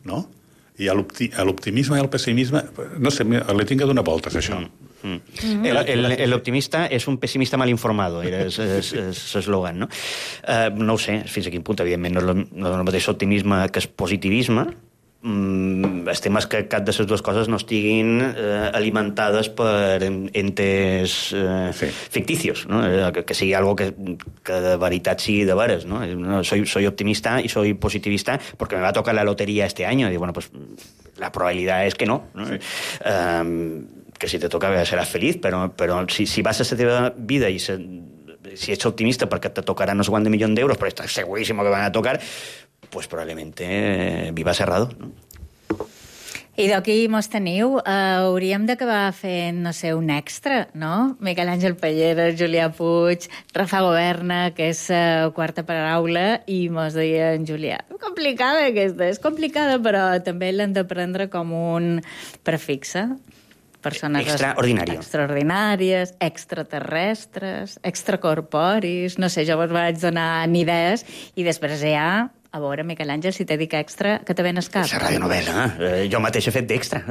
no? I l'optimisme i el pessimisme, no sé, li tinc que donar voltes, això. Mm. Mm. L'optimista és un pessimista mal informado, era l'eslògan, no? Uh, no ho sé, fins a quin punt, evidentment, no és el, no és el mateix optimisme que és positivisme. Mm, el tema és que cap de les dues coses no estiguin eh, alimentades per entes eh, sí. ficticios, ¿no? Que, que sigui algo que, que de veritat sigui de veres, ¿no? No, soy, soy optimista y soy positivista porque me va a tocar la lotería este año. Y bueno, pues la probabilidad es que no, ¿no? Sí. Um, que si te toca seràs feliz, però, però si, si vas a la teva vida i se, si ets optimista perquè te tocarà no sé quant de milions d'euros, però estàs seguríssim que van a tocar, pues probablemente eh, viva cerrado, no? I d'aquí mos teniu, uh, hauríem d'acabar fent, no sé, un extra, no? Miquel Àngel Pelleres, Julià Puig, Rafa Governa, que és uh, quarta paraula, i mos deia en Julià, complicada aquesta, és complicada, però també l'hem de prendre com un prefixe. Persones extraordinàrio. extraordinàries, extraterrestres, extracorporis, no sé, jo vos vaig donar idees, i després ja, a veure, Miquel Àngel, si t'he dit extra, que te ven escap. La radionovel·la, eh? Jo mateix he fet d'extra.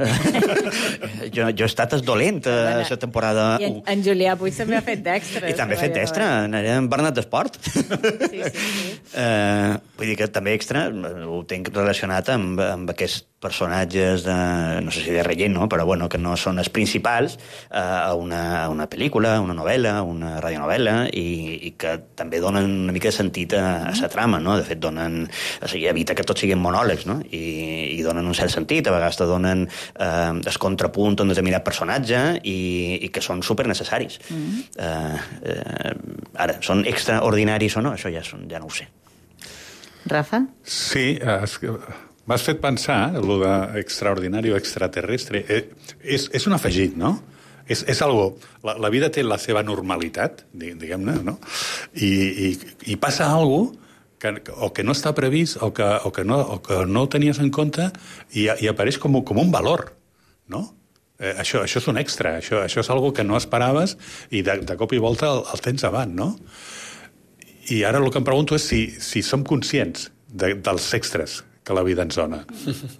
jo, jo he estat dolent a la bueno, temporada I en, en Julià Puig també ha fet d'extra. I també ha fet d'extra, era Bernat d'Esport. sí, sí, sí. Eh, vull dir que també extra ho tenc relacionat amb, amb aquests personatges de, no sé si de relleno, no? Però bueno, que no són els principals eh, a, una, a una pel·lícula, una novel·la, una radionovel·la, i, i que també donen una mica de sentit a, a la trama, no? De fet, donen, o sigui, evita que tots siguin monòlegs, no? I, i donen un cert sentit, a vegades te donen eh, el contrapunt a un determinat personatge i, i que són supernecessaris. Mm-hmm. eh, eh, ara, són extraordinaris o no? Això ja, són, ja no ho sé. Rafa? Sí, és que m'has fet pensar, el d'extraordinari o extraterrestre, eh, és, és un afegit, no? És, és algo, la, la vida té la seva normalitat, diguem-ne, no? I, i, i passa algo que, o que no està previst o que, o que, no, o que no ho tenies en compte i, i apareix com, com un valor, no? Eh, això, això és un extra, això, això és algo que no esperaves i de, de cop i volta el, el tens avant, no? I ara el que em pregunto és si, si som conscients de, dels extras que la vida ens dona.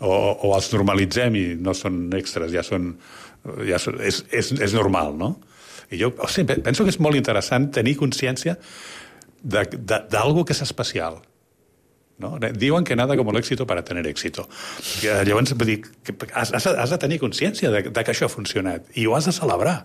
O, o els normalitzem i no són extras, ja són... Ja són és, és, és normal, no? I jo o sigui, penso que és molt interessant tenir consciència d'algo que és especial. ¿No? Diuen que nada como el éxito para tener éxito. Llavors, vull dir, has, has de tenir consciència de, de que això ha funcionat i ho has de celebrar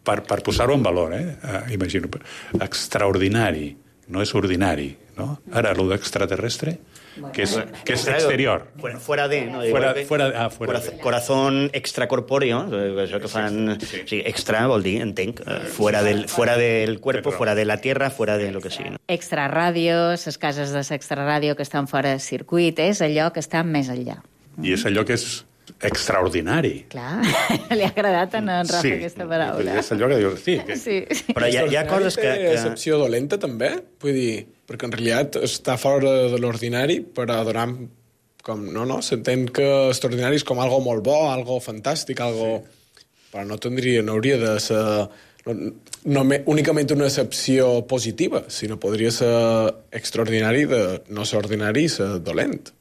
per, per posar-ho en valor, eh? Uh, imagino. Extraordinari, no és ordinari, no? Ara, lo d'extraterrestre... Bueno, que es, que es exterior. Fuera, fuera de, ¿no? Fuera, fuera, ah, fuera corazón, de. Corazón extracorpóreo, això que fan... Sí, sí. Sí, extra vol dir, entenc, fuera del, fuera del cuerpo, fuera de la tierra, fuera de lo que sigui. No? Extraràdios, les cases de l'extraràdio que estan fora de circuit, és allò que està més enllà. I és allò que és extraordinari. Clar, li ha agradat a en Rafa sí, aquesta paraula. És allò que dius, sí. Que... sí, sí. Però hi ha, hi ha coses que... que... excepció dolenta, també? Vull dir, perquè en realitat està fora de l'ordinari, però donar com... No, no, s'entén que extraordinari és com algo molt bo, algo fantàstic, algo... Sí. Però no tindria, no hauria de ser no, no me, únicament una excepció positiva, sinó podria ser extraordinari de no ser ordinari i ser dolent.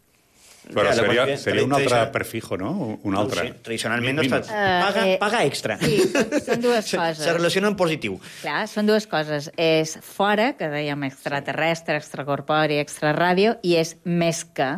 Però ja, seria, seria un altre prefijo, no? Un altre. No, sí. Tradicionalment no es fa... Paga, paga extra. Sí, són dues coses. Se relaciona en positiu. Clar, són dues coses. És fora, que dèiem extraterrestre, extracorpori, extraràdio, i és més que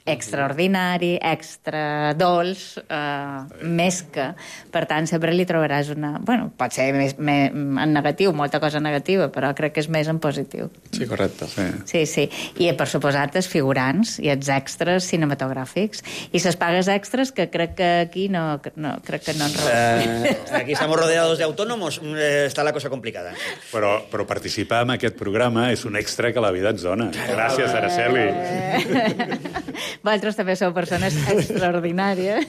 extraordinari, extra dolç, eh, més que. Per tant, sempre li trobaràs una... Bueno, pot ser més, més, en negatiu, molta cosa negativa, però crec que és més en positiu. Sí, correcte. Sí, sí. sí. I, per suposat, els figurants i els extras cinematogràfics. I les pagues extras, que crec que aquí no... no crec que no en uh, aquí estamos rodeados de autónomos, eh, està la cosa complicada. Però, però participar en aquest programa és un extra que la vida ens dona. Gràcies, Araceli. Eh... Vosaltres també sou persones extraordinàries.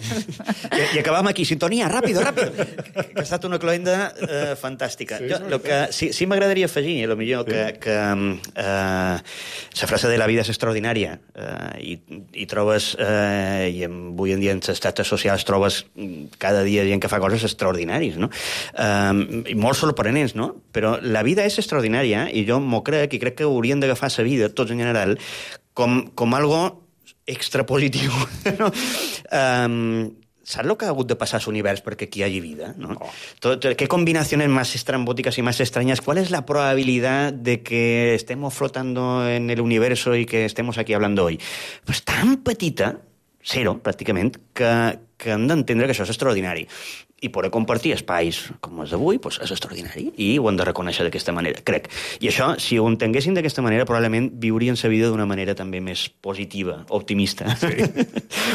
I, i acabam aquí. Sintonia, ràpido, ràpido. Que ha estat una cloenda eh, fantàstica. Sí, jo, lo que, sí, sí m'agradaria afegir, a lo millor, sí. que, que eh, la frase de la vida és extraordinària eh, i, i trobes, eh, i avui en dia en les xarxes socials trobes cada dia gent que fa coses extraordinàries, no? Eh, i molt sorprenents, no? Però la vida és extraordinària i jo m'ho crec i crec que haurien d'agafar la vida, tots en general, com, com algo extrapositiu, no? Um, saps el que ha hagut de passar a l'univers perquè aquí hi hagi vida, no? Oh. Tot, ¿qué combinaciones más estrambóticas y más extrañas? ¿Cuál es la probabilidad de que estemos flotando en el universo y que estemos aquí hablando hoy? Pues tan petita, cero, pràcticament, que, que hem d'entendre que això és extraordinari. I poder compartir espais com els d'avui pues, és extraordinari i ho hem de reconèixer d'aquesta manera, crec. I això, si ho entenguessin d'aquesta manera, probablement viurien la vida d'una manera també més positiva, optimista. Sí.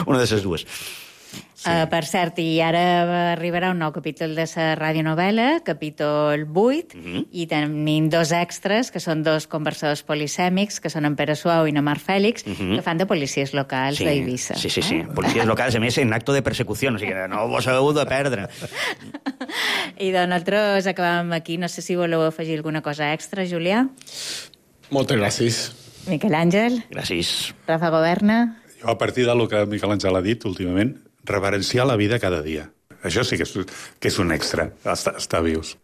Una de les dues. Sí. Uh, per cert, i ara arribarà un nou capítol de la radionovel·la, capítol vuit, uh -huh. i tenim dos extras, que són dos conversadors polisèmics, que són en Pere Suau i en Marc Fèlix, uh -huh. que fan de policies locals sí. d'Eivissa. Sí, sí, sí. Policies locals, a més, en acto de persecució, o sigui que no vos heu de perdre. I doncs nosaltres acabem aquí. No sé si voleu afegir alguna cosa extra, Julià? Moltes gràcies. Miquel Àngel? Gràcies. Rafa Governa? Jo, a partir del que Miquel Àngel ha dit últimament, reverenciar la vida cada dia. Això sí que és, que és un extra, estar, estar vius.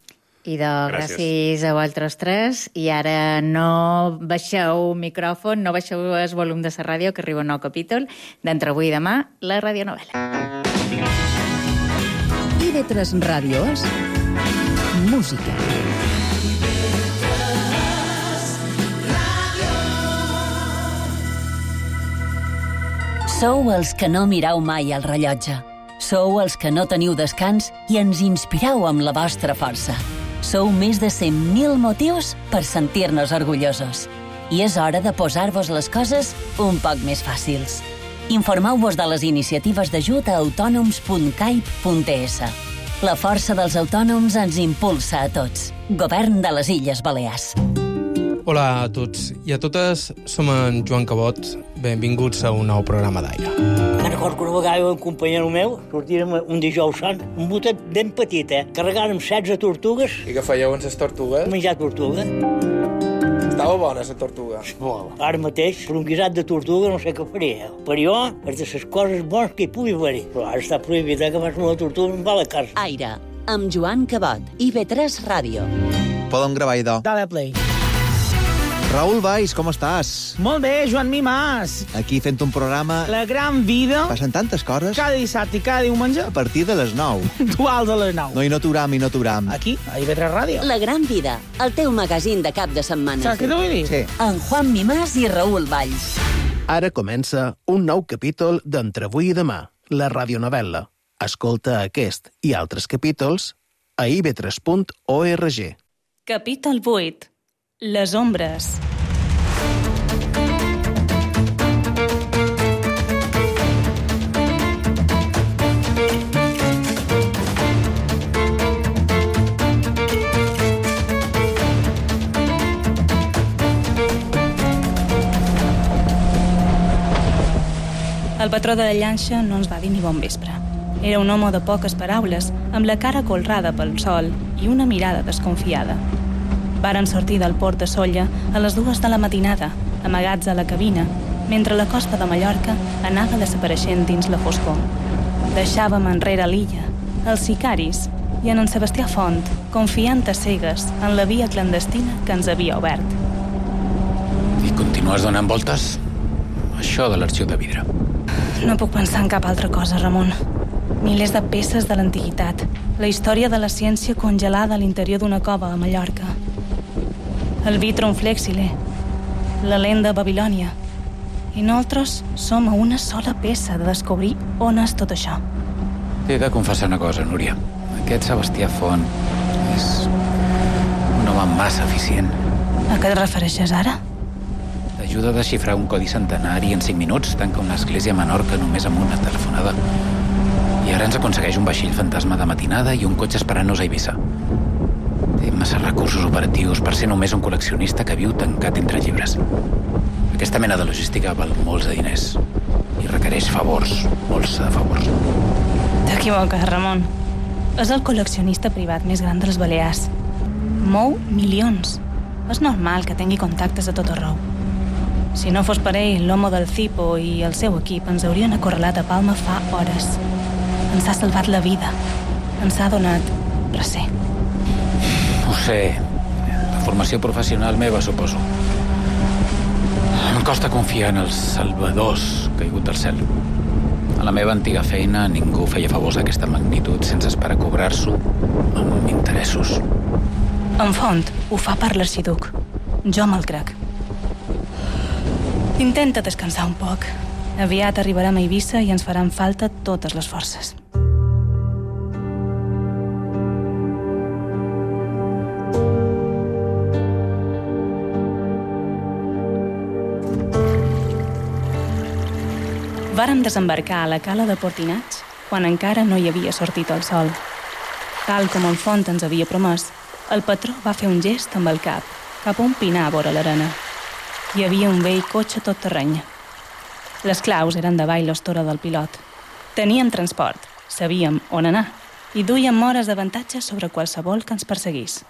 I de gràcies a vosaltres tres. I ara no baixeu micròfon, no baixeu el volum de la ràdio, que arriba un nou capítol d'Entre avui i demà, la radionovel·la. I de tres ràdios, música. Sou els que no mireu mai el rellotge. Sou els que no teniu descans i ens inspireu amb la vostra força. Sou més de cent mil motius per sentir-nos orgullosos. I és hora de posar-vos les coses un poc més fàcils. Informeu-vos de les iniciatives d'ajut a autònoms punt caip punt es. La força dels autònoms ens impulsa a tots. Govern de les Illes Balears. Hola a tots i a totes, som en Joan Cabot. Benvinguts a un nou programa d'Aire. Me'n recordo que una vegada un companyero meu sortírem un dijous sant, un botet ben petit, eh? Carregàrem setze tortugues. I què fèieu amb les tortugues? Menjar tortuga. Estava bona, la tortuga. Molt. Ara mateix, per un guisat de tortuga no sé què faria. Per jo, és de les coses bones que hi pugui haver. Però ara està prohibit, eh, que fas una tortuga en va a la casa. Aire, amb Joan Cabot, I ve tres Ràdio. Podem gravar, idò. Dale play. Raül Valls, com estàs? Molt bé, Joan Mimàs. Aquí fent un programa... La gran vida. Passen tantes coses. Cada dissabte i cada diumenge. A partir de les nou. Duals a les nou. No, i no t'uram, i no t'uram. Aquí, a I ve tres Ràdio. La gran vida, el teu magazín de cap de setmana. Saps què t'ho vull dir? Sí. En Juan Mimàs i Raül Valls. Ara comença un nou capítol d'Entre avui i demà, la radionovel·la. Escolta aquest i altres capítols a i ve tres punt org. Capítol vuit. Les ombres. El patró de la llanxa no ens va dir ni bon vespre. Era un home de poques paraules, amb la cara colrada pel sol i una mirada desconfiada. Varen sortir del port de Sóller a les dues de la matinada, amagats a la cabina, mentre la costa de Mallorca anava desapareixent dins la foscor. Deixàvem enrere l'illa, els sicaris i en en Sebastià Font, confiant a cegues en la via clandestina que ens havia obert. I continues donant voltes? Això de l'arxiu de vidre. No puc pensar en cap altra cosa, Ramon. Milers de peces de l'antiguitat, la història de la ciència congelada a l'interior d'una cova a Mallorca, el vitrum flexile, la lent de Babilònia. I nosaltres som a una sola peça de descobrir on és tot això. T'he de confessar una cosa, Núria. Aquest Sebastià Font és un home massa eficient. A què et refereixes ara? T'ajuda a desxifrar un codi centenari en cinc minuts, tanca una església a Menorca només amb una telefonada. I ara ens aconsegueix un vaixell fantasma de matinada i un cotxe esperant-nos a Eivissa. Té massa recursos operatius per ser només un col·leccionista que viu tancat entre llibres. Aquesta mena de logística val molts de diners i requereix favors, molts de favors. T'equivoques, Ramon. És el col·leccionista privat més gran dels Balears. Mou milions. És normal que tingui contactes a tot arreu. Si no fos per ell, l'home del Cipo i el seu equip ens haurien acorralat a Palma fa hores. Ens ha salvat la vida. Ens ha donat recer. Ho sé. La formació professional meva, suposo. Em costa confiar en els salvadors caigut del cel. A la meva antiga feina ningú feia favors d'aquesta magnitud sense esperar cobrar-s'ho amb interessos. En Font ho fa per l'arxiduc. Jo me'l crec. Intenta descansar un poc. Aviat arribarem a Eivissa i ens faran falta totes les forces. Vàrem desembarcar a la cala de Portinats quan encara no hi havia sortit el sol. Tal com el Font ens havia promès, el patró va fer un gest amb el cap cap a un pinar vora l'arena. Hi havia un vell cotxe tot terreny. Les claus eren davall l'estora del pilot. Teníem transport, sabíem on anar i duíem hores d'avantatge sobre qualsevol que ens perseguís.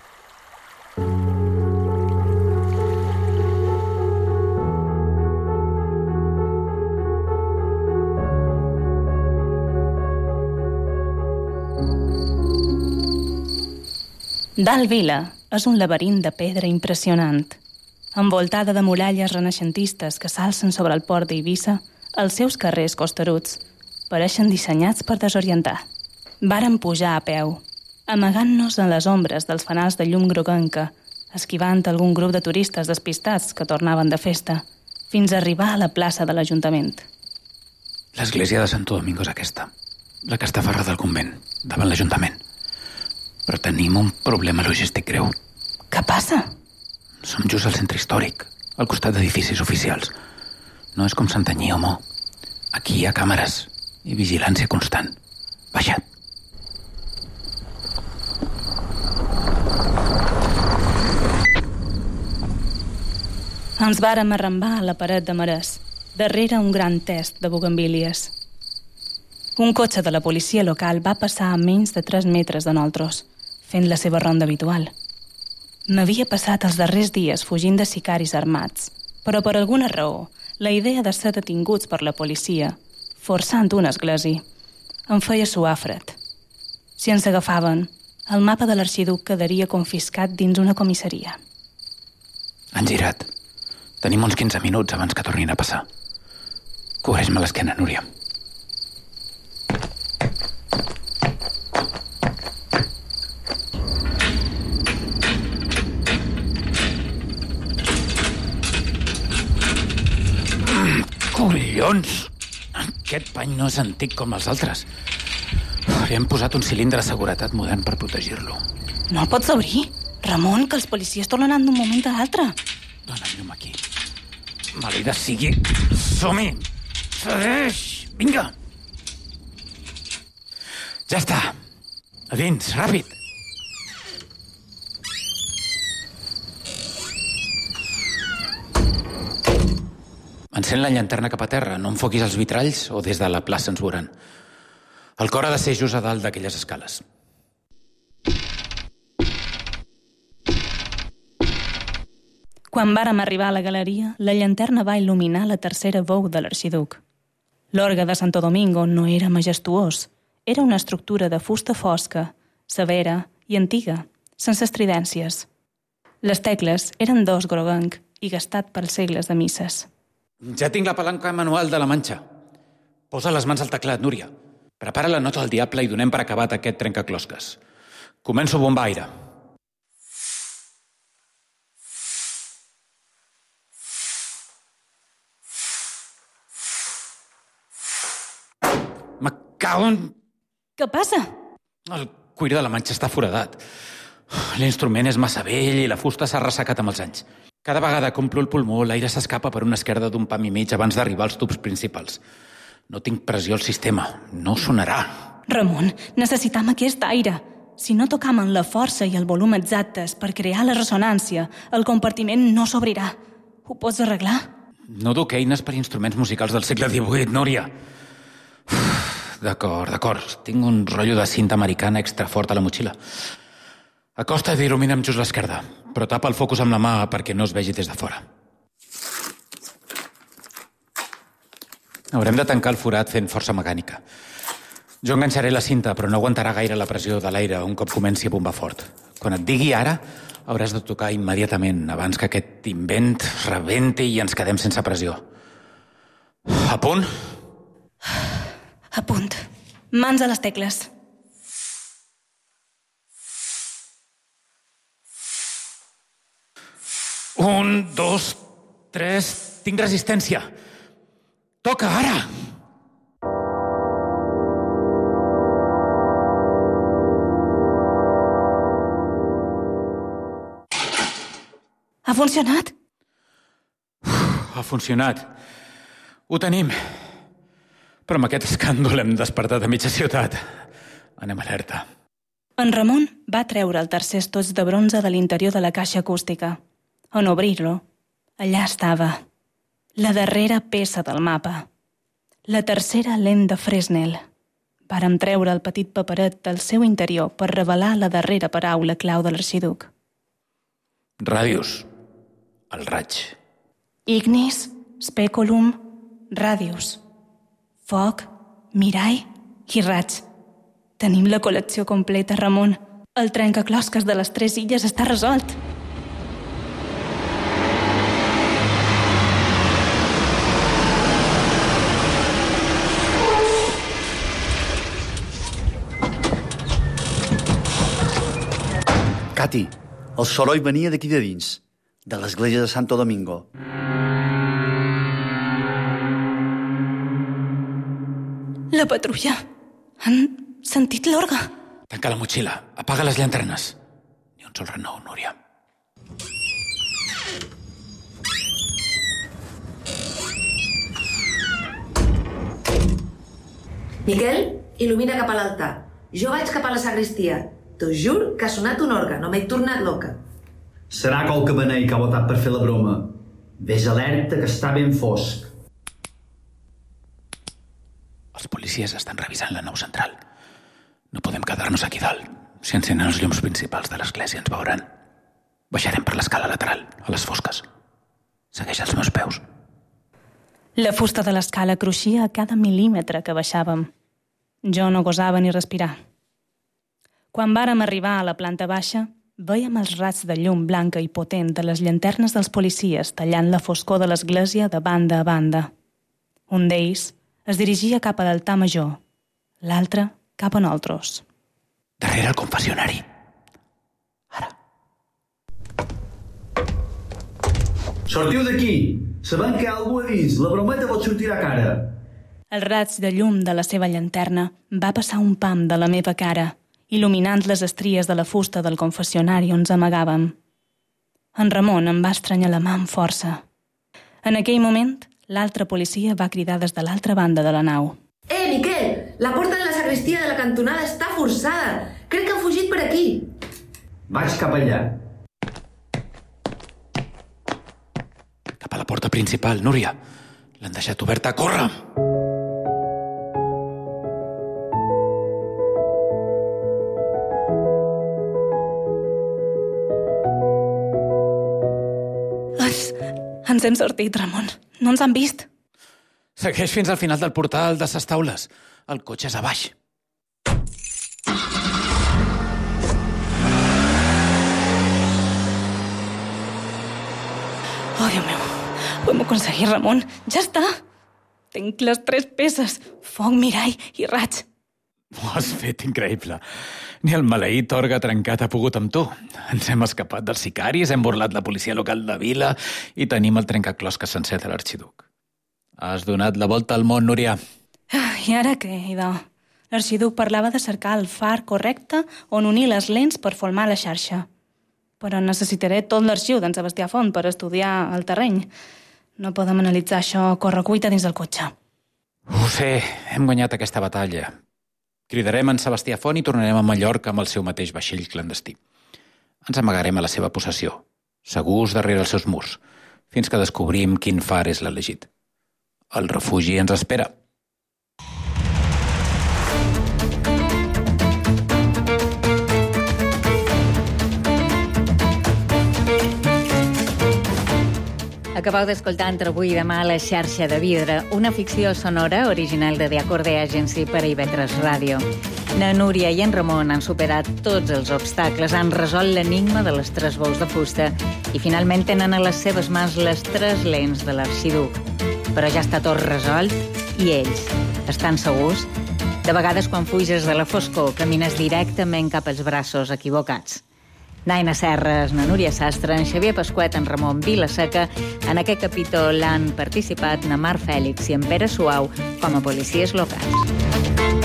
Dalt Vila és un laberint de pedra impressionant. Envoltada de muralles renaixentistes que s'alcen sobre el port d'Eivissa, els seus carrers costeruts pareixen dissenyats per desorientar. Vàrem pujar a peu, amagant-nos en les ombres dels fanals de llum groguenca, esquivant algun grup de turistes despistats que tornaven de festa, fins a arribar a la plaça de l'Ajuntament. L'església de Santo Domingo és aquesta, la que està aferrada al convent, davant l'Ajuntament. Però tenim un problema logístic greu. Què passa? Som just al centre històric, al costat d'edificis oficials. No és com Santanyí o Mo. Aquí hi ha càmeres i vigilància constant. Baixa't. Ens vàrem arrambar a la paret de marès, darrere un gran test de bugambílies. Un cotxe de la policia local va passar a menys de tres metres de nosaltres, fent la seva ronda habitual. M'havia passat els darrers dies fugint de sicaris armats, però per alguna raó, la idea de ser detinguts per la policia, forçant una església, em feia suar fred. Si ens agafaven, el mapa de l'arxiduc quedaria confiscat dins una comissaria. Han girat. Tenim uns quinze minuts abans que tornin a passar. Cobreix-me l'esquena, Núria. Collons! Aquest pany no és antic com els altres. Li hem posat un cilindre de seguretat modern per protegir-lo. No el pots obrir? Ramon, que els policies tornaran d'un moment a l'altre. Dóna'm llum aquí. Malida sigui. Som-hi! Segueix! Vinga! Ja està. A dins, ràpid! Encén la llanterna cap a terra, no enfoquis els vitralls o des de la plaça ens veuran. El cor ha de ser just a dalt d'aquelles escales. Quan vàrem arribar a la galeria, la llanterna va il·luminar la tercera bou de l'arxiduc. L'orgue de Santo Domingo no era majestuós. Era una estructura de fusta fosca, severa i antiga, sense estridències. Les tecles eren d'os groguenc i gastat pels segles de misses. Ja tinc la palanca manual de la Manxa. Posa les mans al teclat, Núria. Prepara la nota del diable i donem per acabat aquest trencaclosques. Començo a bombar aire. Me cago en... Què passa? El cuir de la Manxa està foradat. L'instrument és massa vell i la fusta s'ha ressecat amb els anys. Cada vegada que omplo el pulmó, l'aire s'escapa per una esquerda d'un pam i mig abans d'arribar als tubs principals. No tinc pressió al sistema. No sonarà. Ramon, necessitam aquest aire. Si no tocam amb la força i el volum exactes per crear la ressonància, el compartiment no s'obrirà. Ho pots arreglar? No duc eines per instruments musicals del segle divuit, Núria. D'acord, d'acord. Tinc un rotllo de cinta americana extra fort a la motxilla. Acosta't i il·lumina'm just l'esquerda, però tapa el focus amb la mà perquè no es vegi des de fora. Haurem de tancar el forat fent força mecànica. Jo enganxaré la cinta, però no aguantarà gaire la pressió de l'aire un cop comenci a bombar fort. Quan et digui ara, hauràs de tocar immediatament, abans que aquest invent rebenti i ens quedem sense pressió. A punt? A punt. Mans a les tecles. Un, dos, tres... Tinc resistència. Toca, ara! Ha funcionat? Ha funcionat. Ho tenim. Però amb aquest escàndol hem despertat a mitja ciutat. Anem alerta. En Ramon va treure el tercer estoig de bronze de l'interior de la caixa acústica. En obrir-lo, allà estava. La darrera peça del mapa. La tercera lent de Fresnel. Vàrem treure el petit paperet del seu interior per revelar la darrera paraula clau de l'arxiduc. Ràdius. El raig. Ignis, speculum, ràdius. Foc, mirall i raig. Tenim la col·lecció completa, Ramon. El trencaclosques de les tres illes està resolt. Cati, el soroll venia d'aquí de dins, de l'església de Santo Domingo. La patrulla. Han sentit l'orgue. Tanca la motxilla. Apaga les llanternes. Ni un sol renou, Núria. Miquel, il·lumina cap a l'altar. Jo vaig cap a la sagristia. T'ho jur que ha sonat un orgue, no m'he tornat loca. Serà qualque benei que ha votat per fer la broma. Ves alerta que està ben fosc. Els policies estan revisant la nau central. No podem quedar-nos aquí dalt. Si encenen els llums principals de l'església ens veuran. Baixarem per l'escala lateral, a les fosques. Segueix els meus peus. La fusta de l'escala cruixia a cada mil·límetre que baixàvem. Jo no gosava ni respirar. Quan vàrem arribar a la planta baixa, vèiem els raigs de llum blanca i potent de les llanternes dels policies tallant la foscor de l'església de banda a banda. Un d'ells es dirigia cap a l'altar major, l'altre cap a nosaltres. Darrere el confessionari. Sortiu d'aquí! Sabem que hi ha algú a dins. La brometa pot sortir a cara. El raig de llum de la seva llanterna va passar un pam de la meva cara, il·luminant les estries de la fusta del confessionari on ens amagàvem. En Ramon em va estranyar la mà amb força. En aquell moment, l'altre policia va cridar des de l'altra banda de la nau. Eh, Miquel! La porta de la sagristia de la cantonada està forçada. Crec que han fugit per aquí. Vaig cap allà. Cap a la porta principal, Núria. L'han deixat oberta. Corre! Ens hem sortit, Ramon. No ens han vist. Segueix fins al final del portal de ses taules. El cotxe és a baix. Oh, Déu meu. Ho hem aconseguit, Ramon. Ja està. Tinc les tres peces. Foc, mirall i raig. Ho has fet increïble. Ni el maleït orgue trencat ha pogut amb tu. Ens hem escapat dels sicaris, hem burlat la policia local de Vila i tenim el trencaclosques sencer de l'arxiduc. Has donat la volta al món, Núria. I ara què, idò? L'arxiduc parlava de cercar el far correcte on unir les lents per formar la xarxa. Però necessitaré tot l'arxiu d'en Sebastià Font per estudiar el terreny. No podem analitzar això a correcuita dins del cotxe. Ho sé, hem guanyat aquesta batalla. Cridarem en Sebastià Font i tornarem a Mallorca amb el seu mateix vaixell clandestí. Ens amagarem a la seva possessió, segurs darrere els seus murs, fins que descobrim quin far és l'elegit. El refugi ens espera. Acabeu d'escoltar Entre avui i demà La xarxa de vidre, una ficció sonora original de The Acorde Agency per a I V tres Ràdio. Na Núria i en Ramon han superat tots els obstacles, han resolt l'enigma de les tres bous de fusta i finalment tenen a les seves mans les tres lents de l'arxiduc. Però ja està tot resolt i ells estan segurs? De vegades, quan fuges de la foscor, camines directament cap als braços equivocats. Naina Serres, na Núria Sastre, en Xavier Pasquet, en Ramon Vilaseca. En aquest capítol han participat na Mar Fèlix i en Pere Suau com a policies locals.